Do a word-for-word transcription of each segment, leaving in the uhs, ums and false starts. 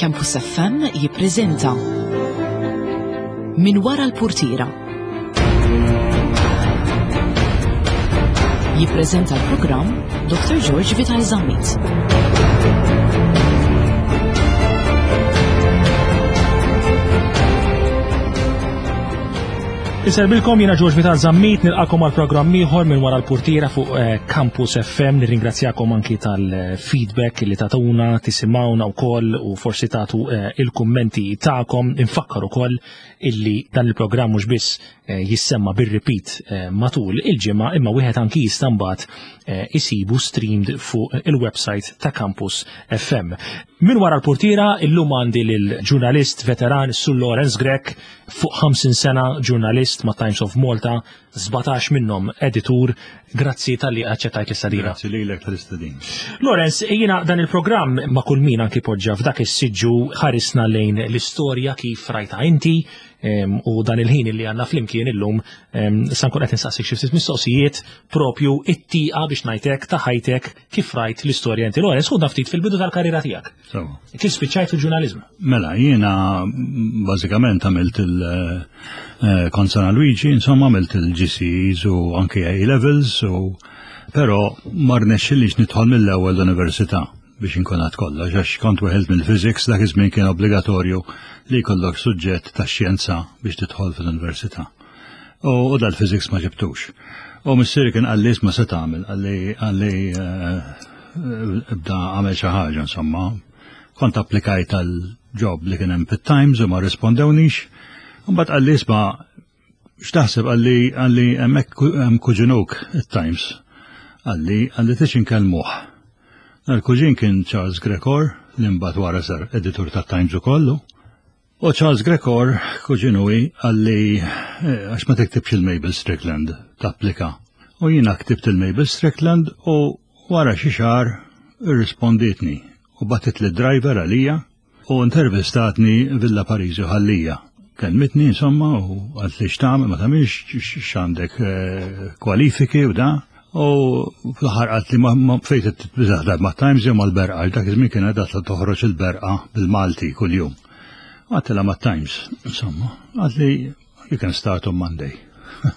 Campus F M jippreżenta Min wara l-purtira. Jippreżenta l-programm Doctor George Vital Zammit. Inserbilkom, jiena George Vital Zammit, nilqakom għal programm ieħor minn wara l-purtira fuq eh, Campus F M. Nirringrazzjakom anki tal-feedback li tatuna, tisimgħuna wkoll u forsi tagħtu eh, il-kummenti tagħkom. Infakkar ukoll illi dan il-programm mhux biss eh, jissemma bir-repeat matul il-ġimgħa, imma wieħed anki jista' mbagħad isibu streamed fuq il-website ta' Campus F M. Min wara l-purtira illum għandi lil-ġurnalist veteran Sur Lawrence Grech, fuq ħamsin sena ġurnalist ma' Times of Malta, sbatax minnhom editur. Grazzi talli aċċettajt l-istadina. Grazzi lilek tal-istadina. Lawrence, jiena dan il-programm ma' kull min anki poġġa f'dak is-siġġu ħarisna lejn l-istorja kif rajta inti, em, u dan il-ħin li għandna flimkien illum sa nkun qed nistaqsik xi ftit mistoqsijiet propju it-tieqa biex ngħidlek ta' ħajtek kif rajt l-istorja inti. Lawrence, ħudna ftit fil-bidu tal-karriera tiegħek. Sewa. Kif spiċċajt fil-ġurnaliżmu? Mela, jiena bażikament għamilt il- eh, kont San Luigi, insomma għamilt il-G C Es u anki A-levels, u però ma rnexxilix nidħol mill-ewwel l-università biex inkun għad kollox, għax kont weħilt mill-physics. Dak iż-żmien kien obbligatorju li jkollok suġġett ta' xjenza biex tidħol fil-università. U, u dal-physics ma ġibtux. U missieri kien qalli ma se tagħmel, qalli qalli eh, ibda għamel xi ħaġa, insomma. Kont applikajt għal job li kien hemm fit-Times u ma rispondewnix. Mbagħad qalli, "Isma', x'taħseb?" qalli qalli "hemmhekk hemm kuġinuk it-Times." Qalli qalli tix inkellmuh. L-kuġin kien Charles Grech Orr, li mbagħad wara sar editur tat-Times ukollu. U Charles Grech Orr, kuġinuwi, qalli eh, għax ma tiktibx lil Mabel Strickland, tapplika. U jiena ktibt lil Mabel Strickland u wara xi xahar irrisponditni u bagħtet li driver għalija u intervistatni Villa Parisi Ħal Lija. Kelmitni, insomma, u qaltli x'tagħmel, ma tagħmilx, x'għandek eh, kwalifiki u da. U fl-aħħar qaltli ma ma fejn titbiżaħ ma' Times jew mal-Berqa, dak iż-żmien kien għadha toħroġ il-Berqa bil-Malti kuljum. Għedtilha ma' Times, insomma, qaltli, "You can start on Monday."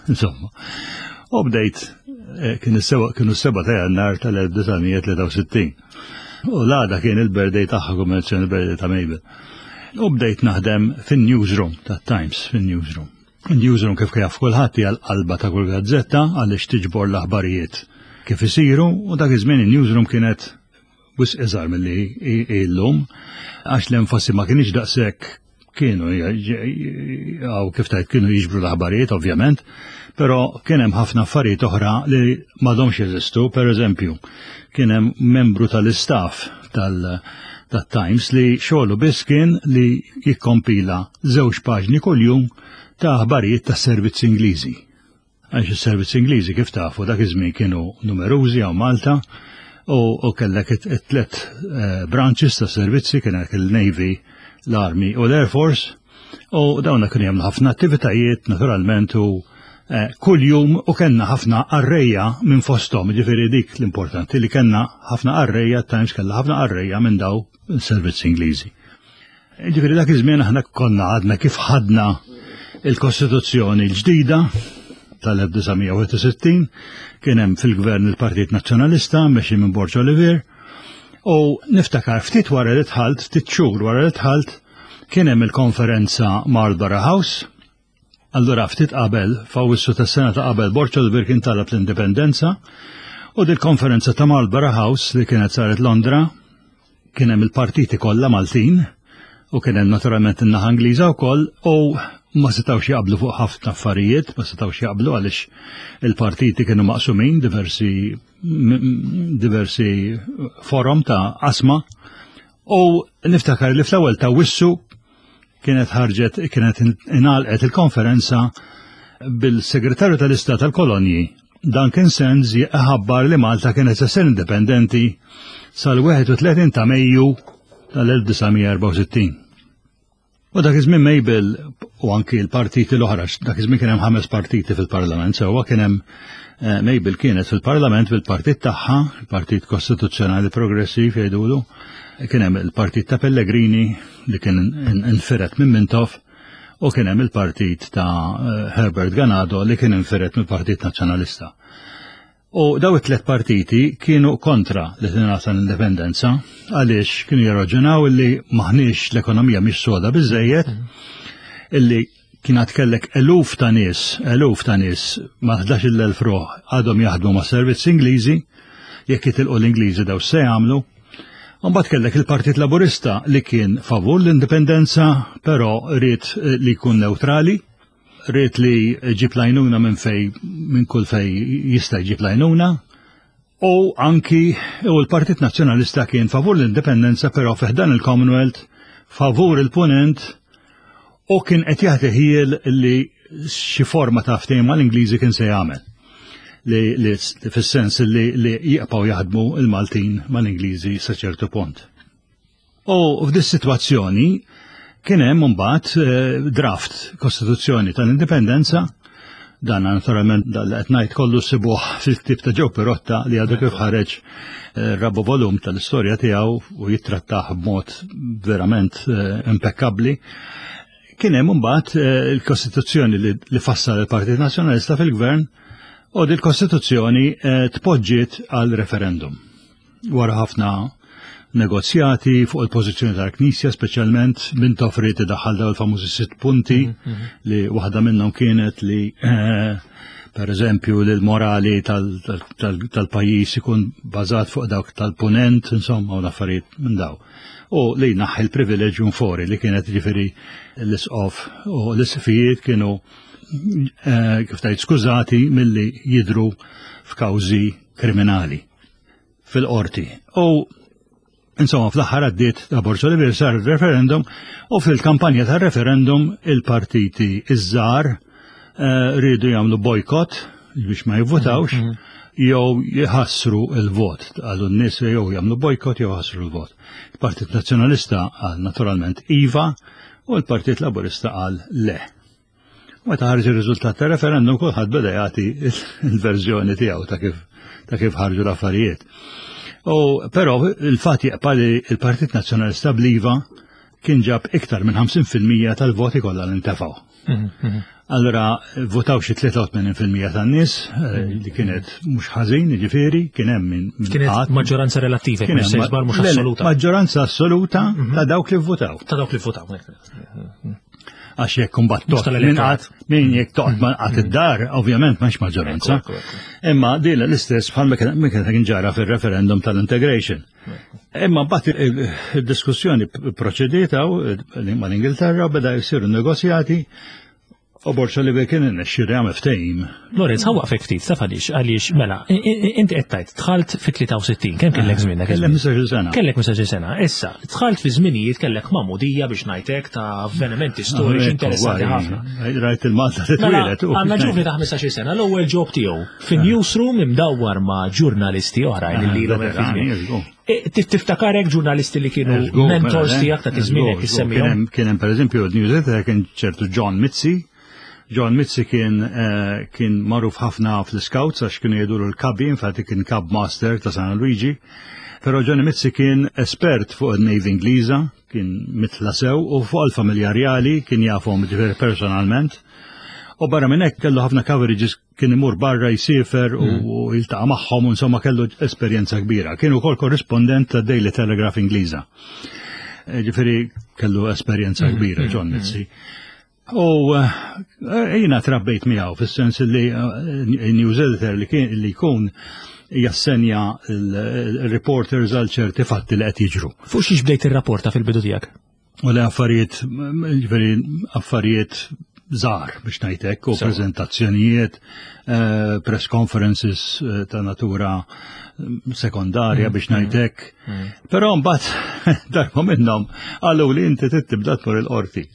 Insomma. U bdejt, eh, kien is-seba- kienu s-seba ta' Jannar tal-elf disa' mija tlieta u sittin. U l-għada kien il-birthday tagħha, kommerzjoni, il-birthday ta' Mabel. U bdejt naħdem fin-newsroom ta' Times, fin-newsroom. Il-newsroom, kif jaf kulħadd, hija l-qalba ta' kull gazzetta għaliex tiġbor l-aħbarijiet kif isiru, u dak iż-żmien il-newsroom kienet wisq iżgħar milli illum, għax l-enfasi ma kienx daqshekk. Kienu għaw kif tajt kienu jiġbru l-aħbarijiet ovvjament, però kien hemm ħafna affarijiet oħra li m'għadhomx jeżistu. Per eżempju, kien hemm membru tal-istaff tal-Times li xogħlu biss kien li jikkompila żewġ paġni kuljum ta' aħbarijiet tas-servizzi Ingliżi. Għax is-servizzi Ingliżi, kif tafu, dak iż-żmien kienu numerużi hawn Malta u, u kellek it-tlet eh, branches ta' servizzi, kien il-Navy, l-Army u l-Air Force, u dawna kienu jagħmlu ħafna attivitajiet naturalment u eh, kull jum u kellna ħafna qarrejja minn fosthom, ġifieri dik l-importanti li kellna ħafna qarrejja, Times kellha ħafna qarrejja minn daw il-servizzi Ingliżi. Ġifieri dak iż-żmien aħna konna għadna kif ħadna il-Kostituzzjoni l-ġdida tal-elf disa' mija wieħed u sittin, kien hemm fil-gvern il-Partit Nazzjonalista mexi minn Borg Olivier, u niftakar ftit wara li dħalt, ftit xhur wara li dħalt, kien hemm il-konferenza Marlborough House. Allura ftit qabel, f'Awwissu tas-sena ta' qabel, Borg Olivier kien talab l-indipendenza, u dil-konferenza ta' Marlborough House li kienet saret Londra, kien hemm il-partiti kollha Maltin u kien hemm naturalment in-naħa Ingliża wkoll, u ma setgħux jaqblu fuq ħafna affarijiet, ma setgħux jaqblu għaliex il-partiti kienu maqsumin diversi diversi forom ta' qasma. U niftakar li fl-ewwel ta' Awwissu kienet ħarġet, kienet ingħalqet il-konferenza bil-Segretarju tal-Istat tal-Kolonji Duncan Sandys jħabbar li Malta kienet se ssir indipendenti sal-wieħed u tletin ta' Mejju tal-elf disa' mija erbgħa u sittin. U dak iż-żmien Mabel u anki l-partiti l-oħra, dak iż-żmien kien hemm ħames partiti fil-Parlament, sewwa kien hemm eh, Mabel kienet fil-Parlament bil-partit tagħha, il-Partit Kostituzzjonali Progressiv jgħidulu, kien hemm il-partit ta' Pellegrini li kien infiret minn Mintoff, u kien hemm il-partit ta' eh, Herbert Ganado li kien infiret mill-Partit Nazzjonalista. U daw it-tlet partiti kienu kontra li tingħata l-indipendenza għaliex kienu jirraġunaw illi maħniex l-ekonomija mhix soda biżejjed, illi kien għad kellek eluf ta' nies, eluf ta' nies ma' ħdax-il elf ruħ għadhom jaħdmu ma' servizz Ingliżi, jekk jitilqu l-Ingliżi daw se jagħmlu. Mbagħad kellek il-Partit Laburista li kien favur l-indipendenza, però ried li jkun neutrali, ried li jġib l-għajnuna minn fej, minn kull fej jista' jġib l-għajnuna, u anki u l-Partit Nazzjonalista kien favur l-indipendenza, però fi ħdan il-Commonwealth, favur il-Punent, u kien qed jagħti ħiel li xi forma ta' ftehim mal-Ingliżi kien se jagħmel. Li, li fis-sens li, li jibqgħu jaħdmu il-Maltin mal-Ingliżi sa ċertu punt. U f'dis sitwazzjoni kien hemm imbagħad eh, draft Kostituzzjoni tal-Indipendenza. Dan naturalment dal qed ngħid kollu ssibuh fil-ktieb ta' Joe Pirotta li għadu kif ħareġ eh, raba' volum tal-istorja tiegħu u jittrattah b'mod verament eh, impekkabbli. Kien hemm imbagħad il-Kostituzzjoni li fassal il-Partit Nazzjonalista fil-Gvern u il kostituzzjoni tpoġġiet għal referendum. Wara ħafna negozjati fuq il-pożizzjoni tal-Knisja, speċjalment Mintoff ried idaħħal daw il-famużi sitt punti mhm, mhm. li waħda minnhom kienet li eh, per eżempju li l-morali tal-pajjiż ikun bażat fuq dawk tal-punent, insomma, u l-affarijiet minn daw. U li naħħi l-privilegium fori li kienet ġifieri l-isqof u l-isqfijiet kienu eh, kif tajt skużati milli jidru f'kawżi kriminali fil-qorti. U insomma, fl-aħħar għaddiet ta' Borg Olivier, sar referendum u fil-kampanja tar referendum il-partiti iż-żgħar eh, rridu jagħmlu bojkott biex ma jivvotawx mhm. jew jħassru il-vot. Għallu n-nies jew jagħmlu bojkott jew jħassru l-vot. Il-Partit Nazzjonalista qal naturalment iva u l-Partit Laburista qal le. Meta ħarġ ir-riżultat ta' referendum kulħadd beda jagħti il-verżjoni tiegħu ta' kif ta' kif ħarġu l-affarijiet. U però il-fatt jibqa' li il-Partit Nazzjonalista bl-iva kien ġab iktar minn ħamsin fil-mija tal-voti kollha li ntefgħu. Mhm, mhm. Allora votaw xi tlieta u tmenin fil-mija tan-nies eh, li kienet mhux ħażin, jiġifieri kien hemm minn Kienet maġġoranza relattiva, kien hemm mhux assoluta. Maġġoranza assoluta mhm. ta' dawk li votaw. Ta' dawk li votaw. Għax jekk kumbat min qatt min jekk toqgħod ma qatt id-dar, ovvjament m'hemmx maġġoranza. Imma din l-istess bħal ma kien ġara fir-referendum tal-integration. Imma mbagħad id-diskussjoni proċediet mal-Ingilterra, beda jsiru negozjati u Borg Olivier kien irnexxielu jagħmel ftehim. Lorenz, ħa nwaqqfek ftit, taf għaliex, għaliex, mela, inti qed tgħid dħalt fi tlieta u sittin, kemm kellek żmien dak Kellek ħmistax-il sena. Kellek ħmistax-il sena. Issa, dħalt fi żminijiet kellek magħmudija biex ngħidlek ta' avvenimenti storiċi interessanti ħafna. Rajt il-Malta Mela, titwieled. għandna ġuvni ta' ħmistax-il sena, l-ewwel job tiegħu fin-newsroom imdawwar ma' ġurnalisti oħrajn li ilhom hemm fi żmien. E, Tiftakarek ġurnalisti li kienu mentors tiegħek ta' żmienek issemmihom? Kien hemm pereżempju l-news editor kien ċertu John Mizzi. John Mizzi kien eh, kien magħruf ħafna fl-scouts għax kienu jgħidulu l-Cubby, infatti kien Cub Master ta' San Luigi. Però Johnny Mizzi kien espert fuq il-Navy Ingliża, kien mitla sew u fuq il-familja rjali kien jafhom ġifieri personalment. U barra minn hekk kellu ħafna coverages, kien imur barra jsifer u mm. jiltaqa' magħhom u insomma kellu esperjenza kbira. Kien ukoll korrispondent ta' Daily Telegraph Ingliża. Eh, ġifieri kellu esperjenza mm, kbira mm, John Mizzi. U eh, jiena trabbejt miegħu fis-sens li eh, news editor li kien li jkun jassenja il-reporters għal ċerti fatti li qed jiġru. Fuq xiex bdejt ir-rapporta fil-bidu tiegħek? U li affarijiet, ġifieri affarijiet żgħar biex ngħidlek, u prezentazzjonijiet, eh, press conferences eh, ta' natura mm, sekondarja biex mm, ngħidlek. Mm. Però mbagħad darba minnhom qalu li inti tibda tmur il-qorti.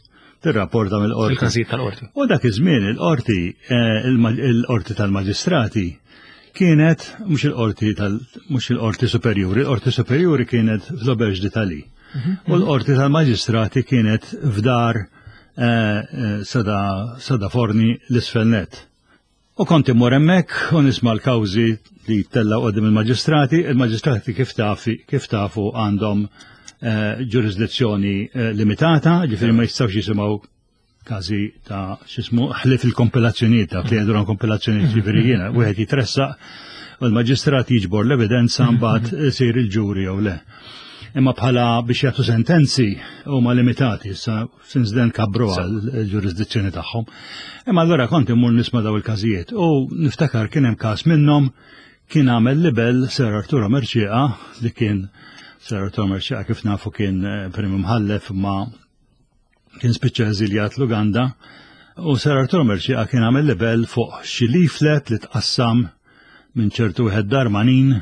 Tirrapporta mill-qorti. Il-każijiet tal-qorti. U dak iż-żmien il-qorti, eh, il-qorti tal-maġistrati kienet mhux il-qorti tal mhux il-qorti superjuri, il-qorti superjuri kienet fl-Auberge d'Italie. U l-qorti tal-maġistrati kienet f'dar eh, eh, Sada, Sada Forni l-isfel nett. U kont immur hemmhekk u nisma' l-kawżi li tella quddiem il-maġistrati, il-maġistrati kif tafi, kif tafu għandhom eh, ġurisdizzjoni eh, limitata, ġifieri ma jistgħux jisimgħu każi ta' x'ismu ħlief il-kompilazzjonijiet ta' li jgħidu kompilazzjonijiet, ġifieri jiena wieħed jitressaq u l-maġistrat jiġbor l-evidenza, mbagħad isir il-ġuri jew le. Imma bħala biex jagħtu sentenzi huma limitati, issa since then kabru għal-ġurisdizzjoni tagħhom. Imma allura kont immur nisma' daw il-każijiet u niftakar kien hemm każ minnhom kien għamel libel Sir Arturo Mercieca, li kien Sir Arturo Mercieca kif nafu kien eh, prim imħallef ma kien spiċċa eżiljat l-Uganda, u Sir Arturo Mercieca kien għamel libel fuq xi leaflet li tqassam minn ċertu wieħed Darmanin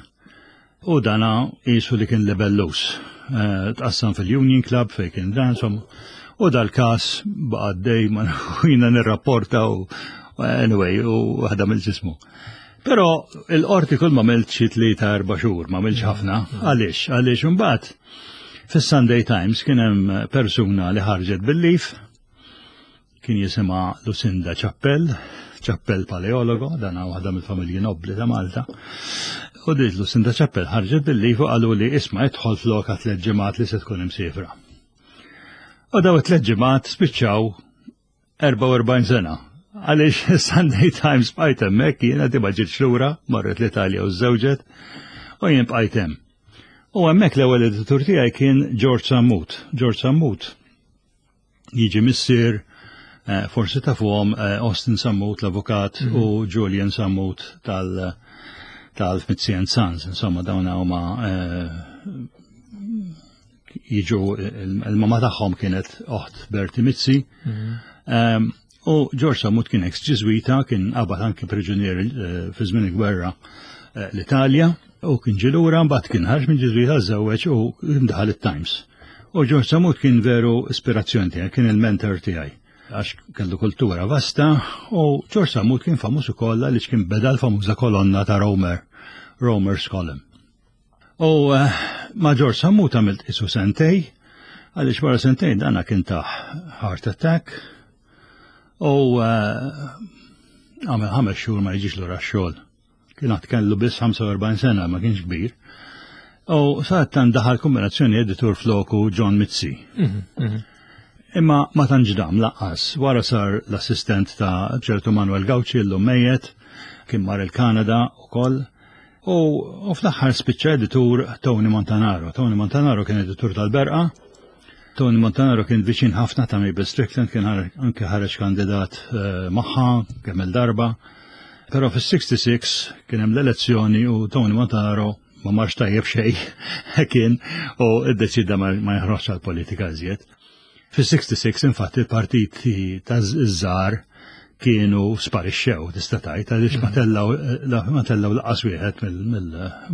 u dana qisu li kien libellus. Eh, Tqassam fil-Union Club fejn kien dan, insomma. U dal-każ baqa' għaddej ma jiena nirrapporta u anyway u waħda mill-ġismu. Però il-qorti kull ma għamilt xi tlieta erba' xhur, ma għamilx ħafna. Għaliex? Għaliex imbagħad fis-Sunday Times kien hemm persuna li ħarġet bil-leave, kien jisimha Lucinda Chappell, Chappell Paleologo, dana waħda mill-familji nobli ta' Malta. U dit Lucinda Chappell ħarġet bil-leave u qalu li isma' idħol floka tliet ġimgħat li se tkun imsifra. U daw it-tliet ġimgħat spiċċaw erbgħa u erbgħin sena. Għaliex Sunday Times bqajt hemmhekk jiena, di ma ġietx lura, marret l-Italja u żżewġet, u jien bqajt hemm. U hemmhekk l-ewwel editur tiegħi kien George Sammut. George Sammut jiġi missier eh, forsi tafuhom eh, Austin Sammut l-avukat mm -hmm. u Julian Sammut tal tal-Mizzi and Sons, insomma dawn huma eh, jiġu il-mama tagħhom kienet oħt Bertie Mizzi. Mm -hmm. U George Sammut kien ex-ġiżwita, kien qabad anke priġunier fi żmien il-gwerra l-Italja u kien ġie lura, mbagħad kien ħarġ minn ġiżwita, żewweġ u daħal it-Times. U George Sammut kien veru ispirazzjoni tiegħi, kien il-mentor tiegħi għax kellu kultura vasta, u George Sammut kien famuż ukoll għaliex kien beda l-famuża kolonna ta' Romer, Romer's Column. U eh, ma' George Sammut għamilt isu sentej, għaliex wara sentejn dana kien ta' heart attack u eh, għamel ħames xhur ma jiġix lura x-xogħol. Kien għad kellu biss ħamsa u erbgħin sena, ma kienx kbir. U sadattant daħal kombinazzjoni editur floku John Mizzi. Mhm, mhm. Imma ma tantx dam lanqas, wara sar l-assistent ta' ċertu Manuel Gauci, llum mejjet, kien mar il-Kanada u koll. U, u fl-aħħar spiċċa editur Tony Montanaro. Tony Montanaro kien editur tal-Berqa. Tony Montanaro kien viċin ħafna ta' Mabel Strickland, kien anke ħareġ kandidat uh, magħha kemm il-darba. Però fis-sitta u sittin kien hemm l-elezzjoni u Tony Montanaro ma marx tajjeb xejn kien u iddeċida ma joħroġx għal-politika iżjed. Fis-sitta u sittin infatti il-partiti ta' żgħar kienu sparixxew, tista' tgħid, għaliex ma tellgħu ma tellgħu lanqas wieħed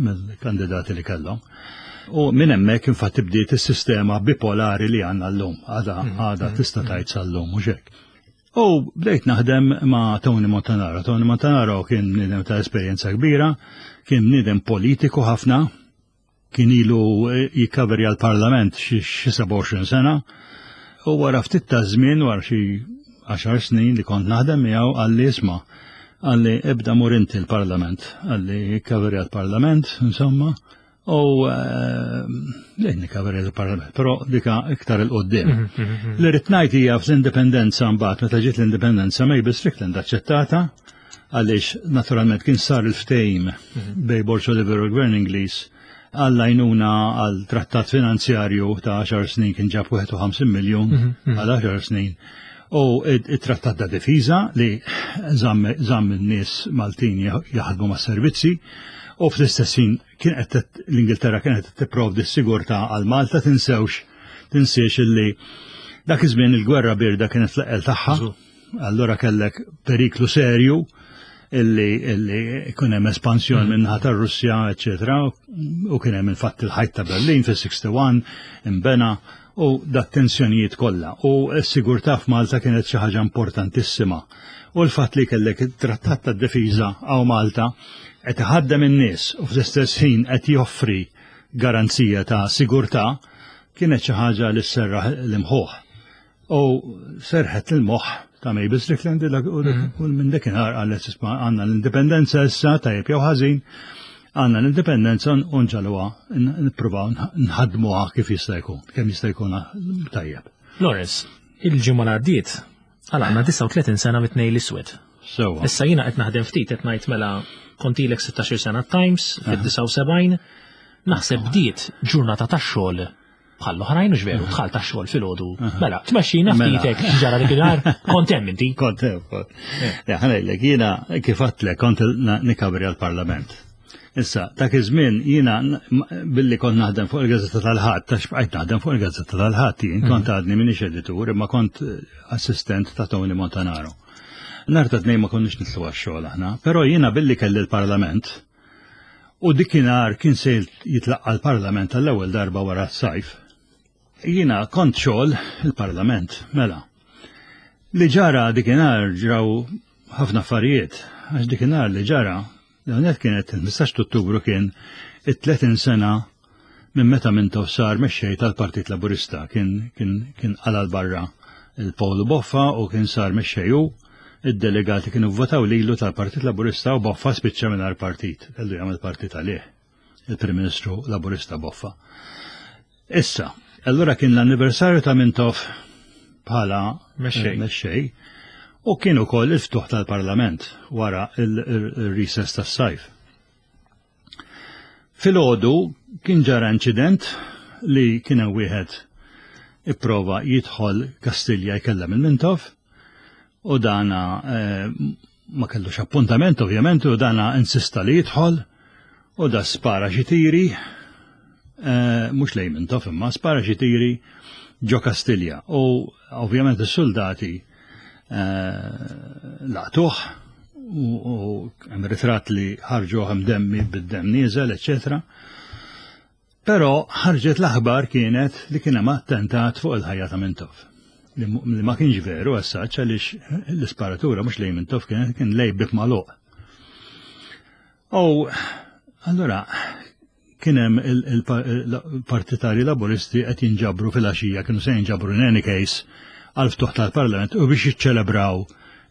mill-kandidati li kellhom. U minn hemmhekk infatti bdiet is-sistema bipolari li għandna llum, għada għada tista' tgħid sal-lum, mhux hekk. U bdejt naħdem ma' Tony Montanaro. Tony Montanaro kien bniedem ta' esperjenza kbira, kien bniedem politiku ħafna, kien ilu jikkaverja l-parlament xi sebgħa u għoxrin sena, u wara ftit ta' żmien, wara xi għaxar snin li kont naħdem miegħu, qalli isma', qalli ibda mur inti l-parlament, qalli ikkaverja l-parlament, insomma, u lejn nikkaverja l-parlament, però dika iktar 'il quddiem. Mhm, mhm, mhm. Li rrid ngħid hija fl-indipendenza mbagħad, meta ġiet l-indipendenza, Mabel Strickland aċċettata għaliex naturalment kien sar il-ftehim bejn Borg Olivier u l-Gvern Ingliż għall-għajnuna għal trattat finanzjarju ta' għaxar snin, kien ġab wieħed u ħamsin miljon għal għaxar snin. U it-trattat ta' difiża li żamm in-nies Maltin jaħdmu ma' servizzi u fl-istess ħin kien qed l-Ingilterra kienet tipprovdi s-sigurtà għal Malta. Tinsewx, tinsiex illi dak iż-żmien il-gwerra birda kienet fl-eqqel tagħha. Allura kellek periklu serju illi illi kien hemm espansjon mm. minnaħa tar-Russja, eċetera, u kien hemm infatti il-ħajt ta' Berlin fis-wieħed u sittin imbena u dat tensjonijiet kollha. U s-sigurtà f'Malta kienet xi ħaġa importantissima. U l-fatt li kellek it-trattat ta' difiża għaw Malta qed iħaddem in-nies u fl-istess ħin qed joffri garanzija ta' sigurtà. Kienet xi ħaġa li sserraħ l-imħuħ. U serħet il-moħħ ta' Mabel Strickland u minn dakinhar qalet, "Isma', għandna l-indipendenza issa, tajjeb jew ħażin, għandna l-indipendenza u nġaluha, nippruvaw nħadmuha kif jista' jkun, kemm jista' jkun tajjeb." Lawrence, il-ġimgħa li għaddiet, għalaqna disgħa u tletin sena mit-Tnejn l-Iswed. Sewwa. Issa jiena qed naħdem ftit, qed ngħid mela kontilek sittax-il sena Times fid-disgħa u sebgħin, naħseb bdiet ġurnata tax-xogħol bħal oħrajn, u veru, dħal tax-xogħol filgħodu. Mela, tmexxina Mela. ftitek ġara dik il-nhar, kont hemm inti. Kont hemm, kont. Ja, ħa ngħidlek, jiena kif għedtlek kont na- nikabri għal-Parlament. Issa, dak iż-żmien jiena n- billi kont naħdem fuq il-Gazzetta tal-Ħadd, tax bqajt naħdem fuq il-Gazzetta tal-Ħadd, jien kont għadni minix editur, imma kont eh, assistent ta' Tony Montanaro. Nhar ta' Tnejn ma konniex nitilgħu għax-xogħol aħna, però jiena billi kelli l-Parlament u dikinhar kien se jitlaqqa l-Parlament tal-ewwel darba wara s-sajf. Jiena kont xogħol il-Parlament, mela. Li ġara dikinhar, ġraw ħafna affarijiet, għax dikinhar li ġara, l kienet il-ħmistax Ottubru, kien it-tletin sena minn meta Mintoff sar mexxej tal-Partit Laburista, kien kien kien qala barra il-Pawlu Boffa u kien sar mexxej hu, id-delegati kienu votaw lilu tal-Partit Laburista u Boffa spiċċa mingħajr partit, kellu jagħmel partit għalih, il-Prim Ministru Laburista Boffa. Issa, allura kien l-anniversarju ta' Mintoff bħala Mexxej. eh, mexxej u kien ukoll il-ftuħ tal-Parlament wara il-recess tas-sajf. Filgħodu kien ġara inċident li kien hemm wieħed ipprova jidħol Kastilja jkellem il-Mintoff u dana eh, ma kellux appuntament ovvjament u dana insista li jidħol u da spara xi tiri, eh, mhux lejn Mintoff imma spara xi tiri ġo Kastilja u ovvjament is-soldati eh, laqtuh u u hemm ritratt li ħarġu hemm demmi bid-dem nieżel, eċetera. Però ħarġet l-aħbar kienet li kien hemm attentat fuq il-ħajja ta' Mintoff. Li mu- li ma kienx veru għassaċ għaliex l-isparatura mhux lejn Mintoff kienet, kien lejn bieb magħluq. U allura kien hemm il-partitari Laburisti qed jinġabru fil-għaxija, kienu se jinġabru in any case għal ftuħ tal-Parlament u biex jiċċelebraw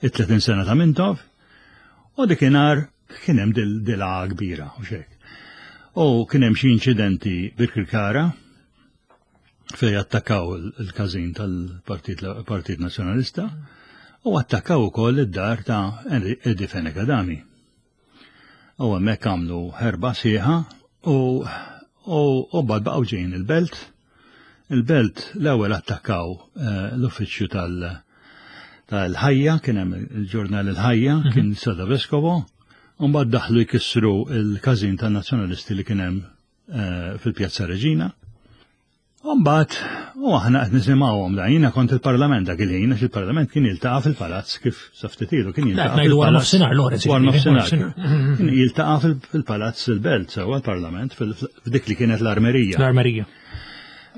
it-tletin sena ta' Mintoff. U dikinhar kien hemm dil kbira u xek. U kien hemm xi inċidenti Birkirkara fej attakkaw il-każin tal-Partit Partit Nazzjonalista u attakkaw ukoll id-dar ta' Eddie Fenech Adami. U hemmhekk għamlu ħerba sħiħa u u u bad baqgħu ġejjin il-belt. Il-belt l-ewwel attakkaw eh, l-uffiċċju tal- tal-Ħajja, kien hemm il-ġurnal Il-Ħajja, kien Sada Vescovo, u mbagħad daħlu jkissru il-każin tan-nazzjonalisti li kien hemm eh, fil-Pjazza Reġina. U mbagħad u aħna qed nisimgħuhom da, jiena kont il-Parlament dak il-ħin, għax il-Parlament kien jiltaqa' fil-palazz kif sa ftit ilu kien jiltaqa' ngħidu wara fil-palazz. nofsinhar, Lawrence, Wara jiġifieri, nofsinhar. nofsinhar. Kien jiltaqa' fil- fil-palazz il-belt, sewwa l-Parlament, fil- f'dik li kienet l-armerija. L-armerija.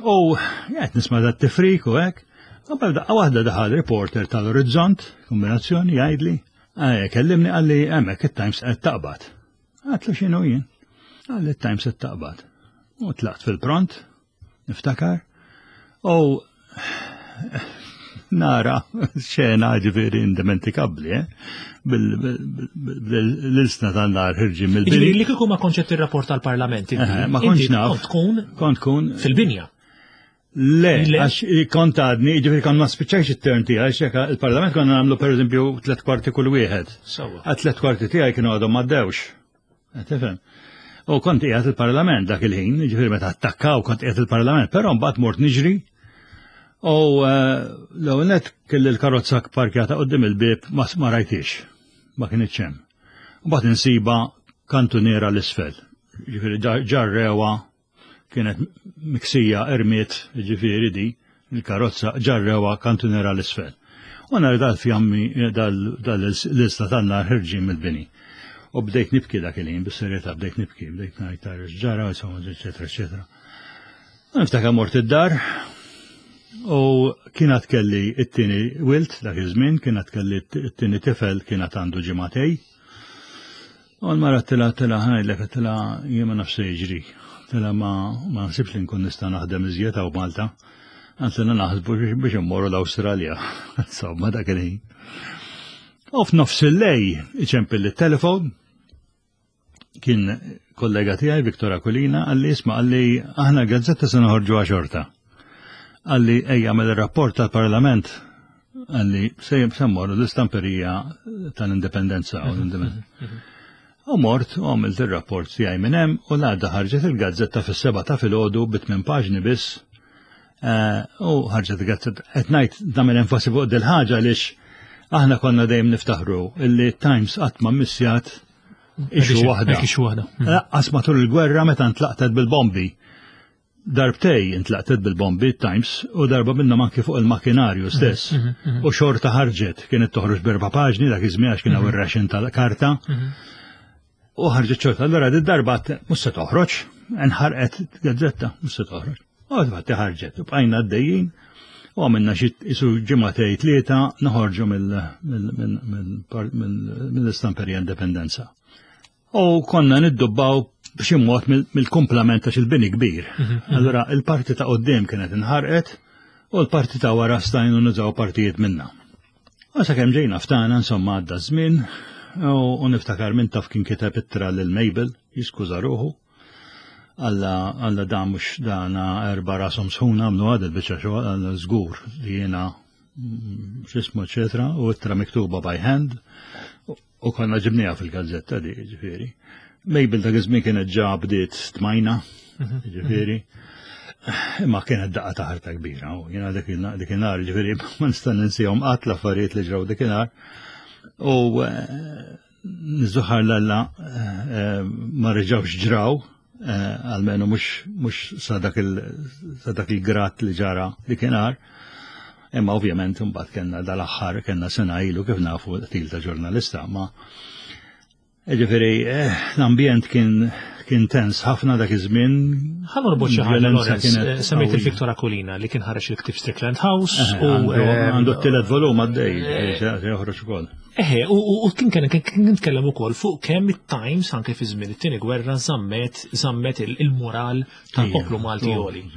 U qed nisma' dat tifrik u hekk. U bel daqqa waħda daħal reporter tal-Orizzont, kombinazzjoni, jgħidli, eh, kellimni, qalli, "Hemmhekk it-Times qed taqbad." Għedtlu, "X'inhu jien?" Qalli, "It-Times qed taqbad." U tlaqt fil-pront, niftakar, u nara xena ġifieri indimentikabli, eh? Bil-ilsna tan-nar ħerġin mill-bini. Jiġifieri li kieku ma kontx qed tirrapport tal-Parlament, inti, Eh, ma kontx inti naf. kont tkun Kont kun fil-binja. Le, Le. għax kont għadni, ġifieri kont ma spiċċajx it-term tiegħi, għax jekk il-Parlament konna nagħmlu pereżempju tliet kwarti kull wieħed. Sewwa. Għat tliet kwarti tiegħi kienu għadhom m'għaddewx. Qed tifhem? U kont qiegħed il-Parlament dak il-ħin, ġifieri meta attakkaw kont qiegħed il-Parlament, però mbagħad mort niġri u eh, l-ewwel net kelli l-karozza parkjata quddiem il-bieb, ma ma rajtix, ma kienx hemm. Mbagħad insiba kantuniera l-isfel. Ġifieri ġarrewa, kienet miksija ermiet, ġifieri di, il-karozza ġarrewa kantuniera l-isfel. U nara dal-fjammi, dal-lista tan-nar ħerġin mill-bini. U bdejt nibki dak il-ħin, bis-serjetà bdejt nibki, bdejt ngħid ġara, insomma, eċetera, eċetera. U niftakar mort id-dar u kienet kelli it-tieni wild dak iż-żmien, kienet kelli it-tieni tifel, kienet għandu ġimagħtejn. U l-mara tila tila ħajlek tila jien ma nafx se jiġri. Tela ma ma nsibx li nkun nista' naħdem iżjed hawn Malta. Għantina naħsbu biex immorru l-Awstralja. Insomma, dak il-ħin. U f'nofs il-lejl iċempel it-telefon, kien kollega tiegħi Viktor Aquilina, qalli isma', qalli aħna gazzetta se noħorġu xorta. Qalli ejja għamel ir-rapport tal-Parlament, qalli se mmorru l-istamperija tal-Indipendenza u l-Indipendenza. U mort u għamilt ir-rapport tiegħi minn hemm u l-għada ħarġet il-gazzetta fis-seba ta' filgħodu bi tmien paġni biss. Eh, u ħarġet il-gazzetta. Qed ngħid nagħmel enfasi fuq dil-ħaġa għaliex aħna konna dejjem niftaħru illi Times qatt ma missjat issue waħda. Issue waħda. Lanqas matul il-gwerra meta ntlaqtet bil-bombi. Darbtejn intlaqtet bil-bombi Times u darba minnhom anki fuq il-makinarju stess. U xorta ħarġet, kienet toħroġ b'erba' paġni dak iż-żmien għax kien hawn ir-ration tal-karta. U ħarġet xorta, allura di darba mhux se toħroġ, nħarqet gazzetta, mhux se toħroġ. U infatti ħarġet, u bqajna għaddejjin u għamilna xi isu ġimgħatej tlieta noħorġu mill-istamperija Indipendenza. U konna niddubbaw b'xi mod mill-kumplament għax il-bini kbir. Allura il-parti ta' qoddim kienet inħarqet u l-parti ta' wara stajnu nużaw partijiet minna. U sakemm ġejna ftana, insomma, għadda żmien u niftakar minn taf kien kiteb ittra lil Mabel jiskuża ruħu. Alla alla da mhux dana erba' rashom sħuna għamlu għad il-biċċa xogħol, għalla żgur li jiena x'ismu eċetera, u ittra miktuba by hand u konna ġibniha fil-gazzetta di, ġifieri. Mabel dak iż-żmien kienet ġa bdiet tmajna, ġifieri. Imma kienet daqqa ta' ħarta kbira, u jiena dik inhar, ġifieri, ma nista' ninsihom qatt l-affarijiet li ġraw dik inhar. U niżuħar l-alla ma reġgħux ġraw, almenu mhux sa dak il-grad li ġara dik inhar. Imma ovvjament imbagħad kellna dal-aħħar, kellna sena ilu kif nafu qtil ta' ġurnalista, ma ġifieri l-ambjent kien kien tens ħafna dak iż-żmien. Ħa norbot xi ħaġa, Lawrence, semmejt il-Victor Aquilina li kien ħareġ il-ktieb Strickland House u għandu t-tielet volum għaddej, joħroġ ukoll. Eħe, u kien kien kien nitkellem ukoll fuq kemm it-Times anke fi żmien it-tieni gwerra żammet żammet il-moral tal-poplu Malti għoli.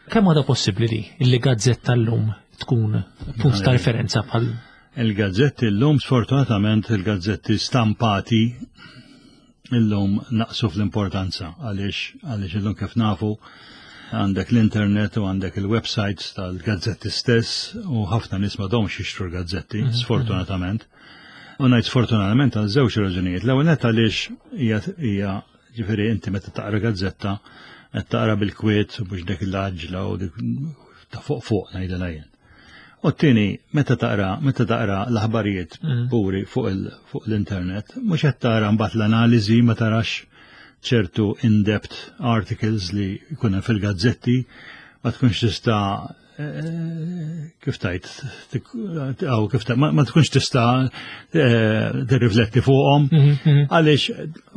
Kemm għadha possibbli li illi gazzetta llum tkun punt ta' referenza bħal Il-gazzetti llum, sfortunatament, il-gazzetti stampati illum naqsu fl-importanza għaliex għaliex illum kif nafu għandek l-internet u għandek il-websites tal-gazzetti stess u ħafna nies m'għadhomx jixtru l-gazzetti, sfortunatament. U ngħid sfortunatament għal żewġ raġunijiet. L-ewwel nett għaliex hija hija ġifieri inti meta taqra gazzetta qed taqra bil-kwiet u mhux dik l-għaġla u dik ta' fuq fuq ngħidilha jien. U t-tieni, meta taqra meta taqra l-aħbarijiet puri fuq l-internet, mhux qed tara mbagħad l-analiżi, ma tarax ċertu in-depth articles li jkun hemm fil-gazzetti, ma tkunx tista' kif tajt, aw kif tajt, ma tkunx tista' tirrifletti fuqhom, għaliex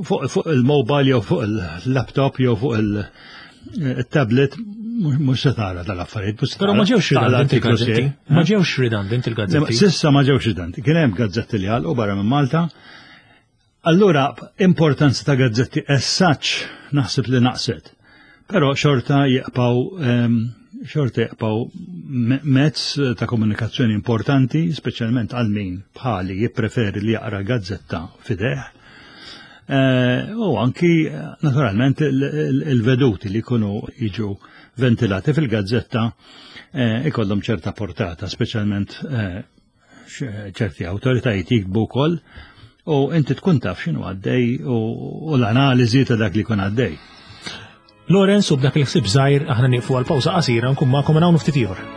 fuq il-mobile jew fuq il-laptop jew fuq il-tablet mhux se tara tal-affarijiet. Però ma ġewx redundant il-gazzetti. Ma ġewx redundant il-gazzetti. S'issa ma ġewx redundant. Kien hemm gazzetti li għalqu barra minn Malta. Allura, importanza ta' gazzetti as such naħseb li naqset. Però xorta jibqgħu xorta jibqgħu mezz ta' komunikazzjoni importanti, speċjalment għal min bħali jippreferi li jaqra gazzetta f'idejh. U anki, naturalment, il-veduti li jkunu jiġu ventilati fil-gazzetta ikollhom ċerta portata, speċjalment ċerti awtoritajiet jiktbu wkoll u inti tkun taf x'inhu għaddej u l-analiżi ta' dak li jkun għaddej. Lawrence, u b'dak il-ħsieb żgħir aħna nieqfu għal pawża qasira, nkun magħkom hawn ftit ieħor.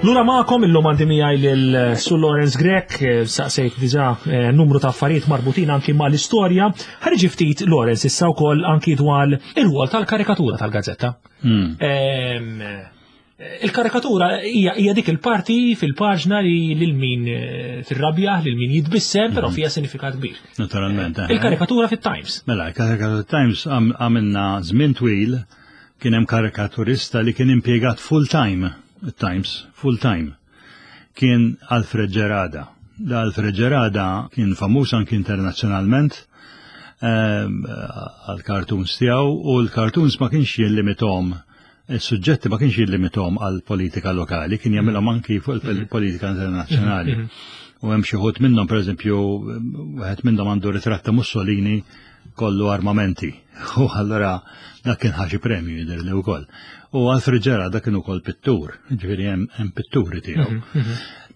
Lura magħkom, illum għandi miegħi lil Sur Lawrence Grech, saqsejt diġà numru ta' affarijiet marbutin anki mal-istorja. Ħarġi ftit, Lawrence, issa wkoll anki dwar ir-rwol tal-karikatura tal-gazzetta. Il-karikatura hija hija dik il-parti fil-paġna li lil min eh, tirrabja, lil min jitbissem, però fiha sinifikat kbir. Naturalment. eh. Il-karikatura fit-Times. Mela, il-karikatura Times għam- għamilna żmien twil, kien hemm karikaturista li kien impjegat full time, Times, full time. Kien Alfred Gerada. Da Alfred Gerada kien famuż anki internazzjonalment ehm, għal cartoons tiegħu, u l-cartoons ma kienx jillimithom, il-suġġetti ma kienx jillimithom għal politika lokali, kien jagħmilhom anki fuq il-politika internazzjonali. U hemm xi wħud minnhom, pereżempju, wieħed minnhom għandu ritratt ta' Mussolini kollu armamenti. U allura dak kien ħa xi premju, jidher li wkoll. U Alfred Gerada kien ukoll pittur, ġifieri hemm hemm pitturi tiegħu.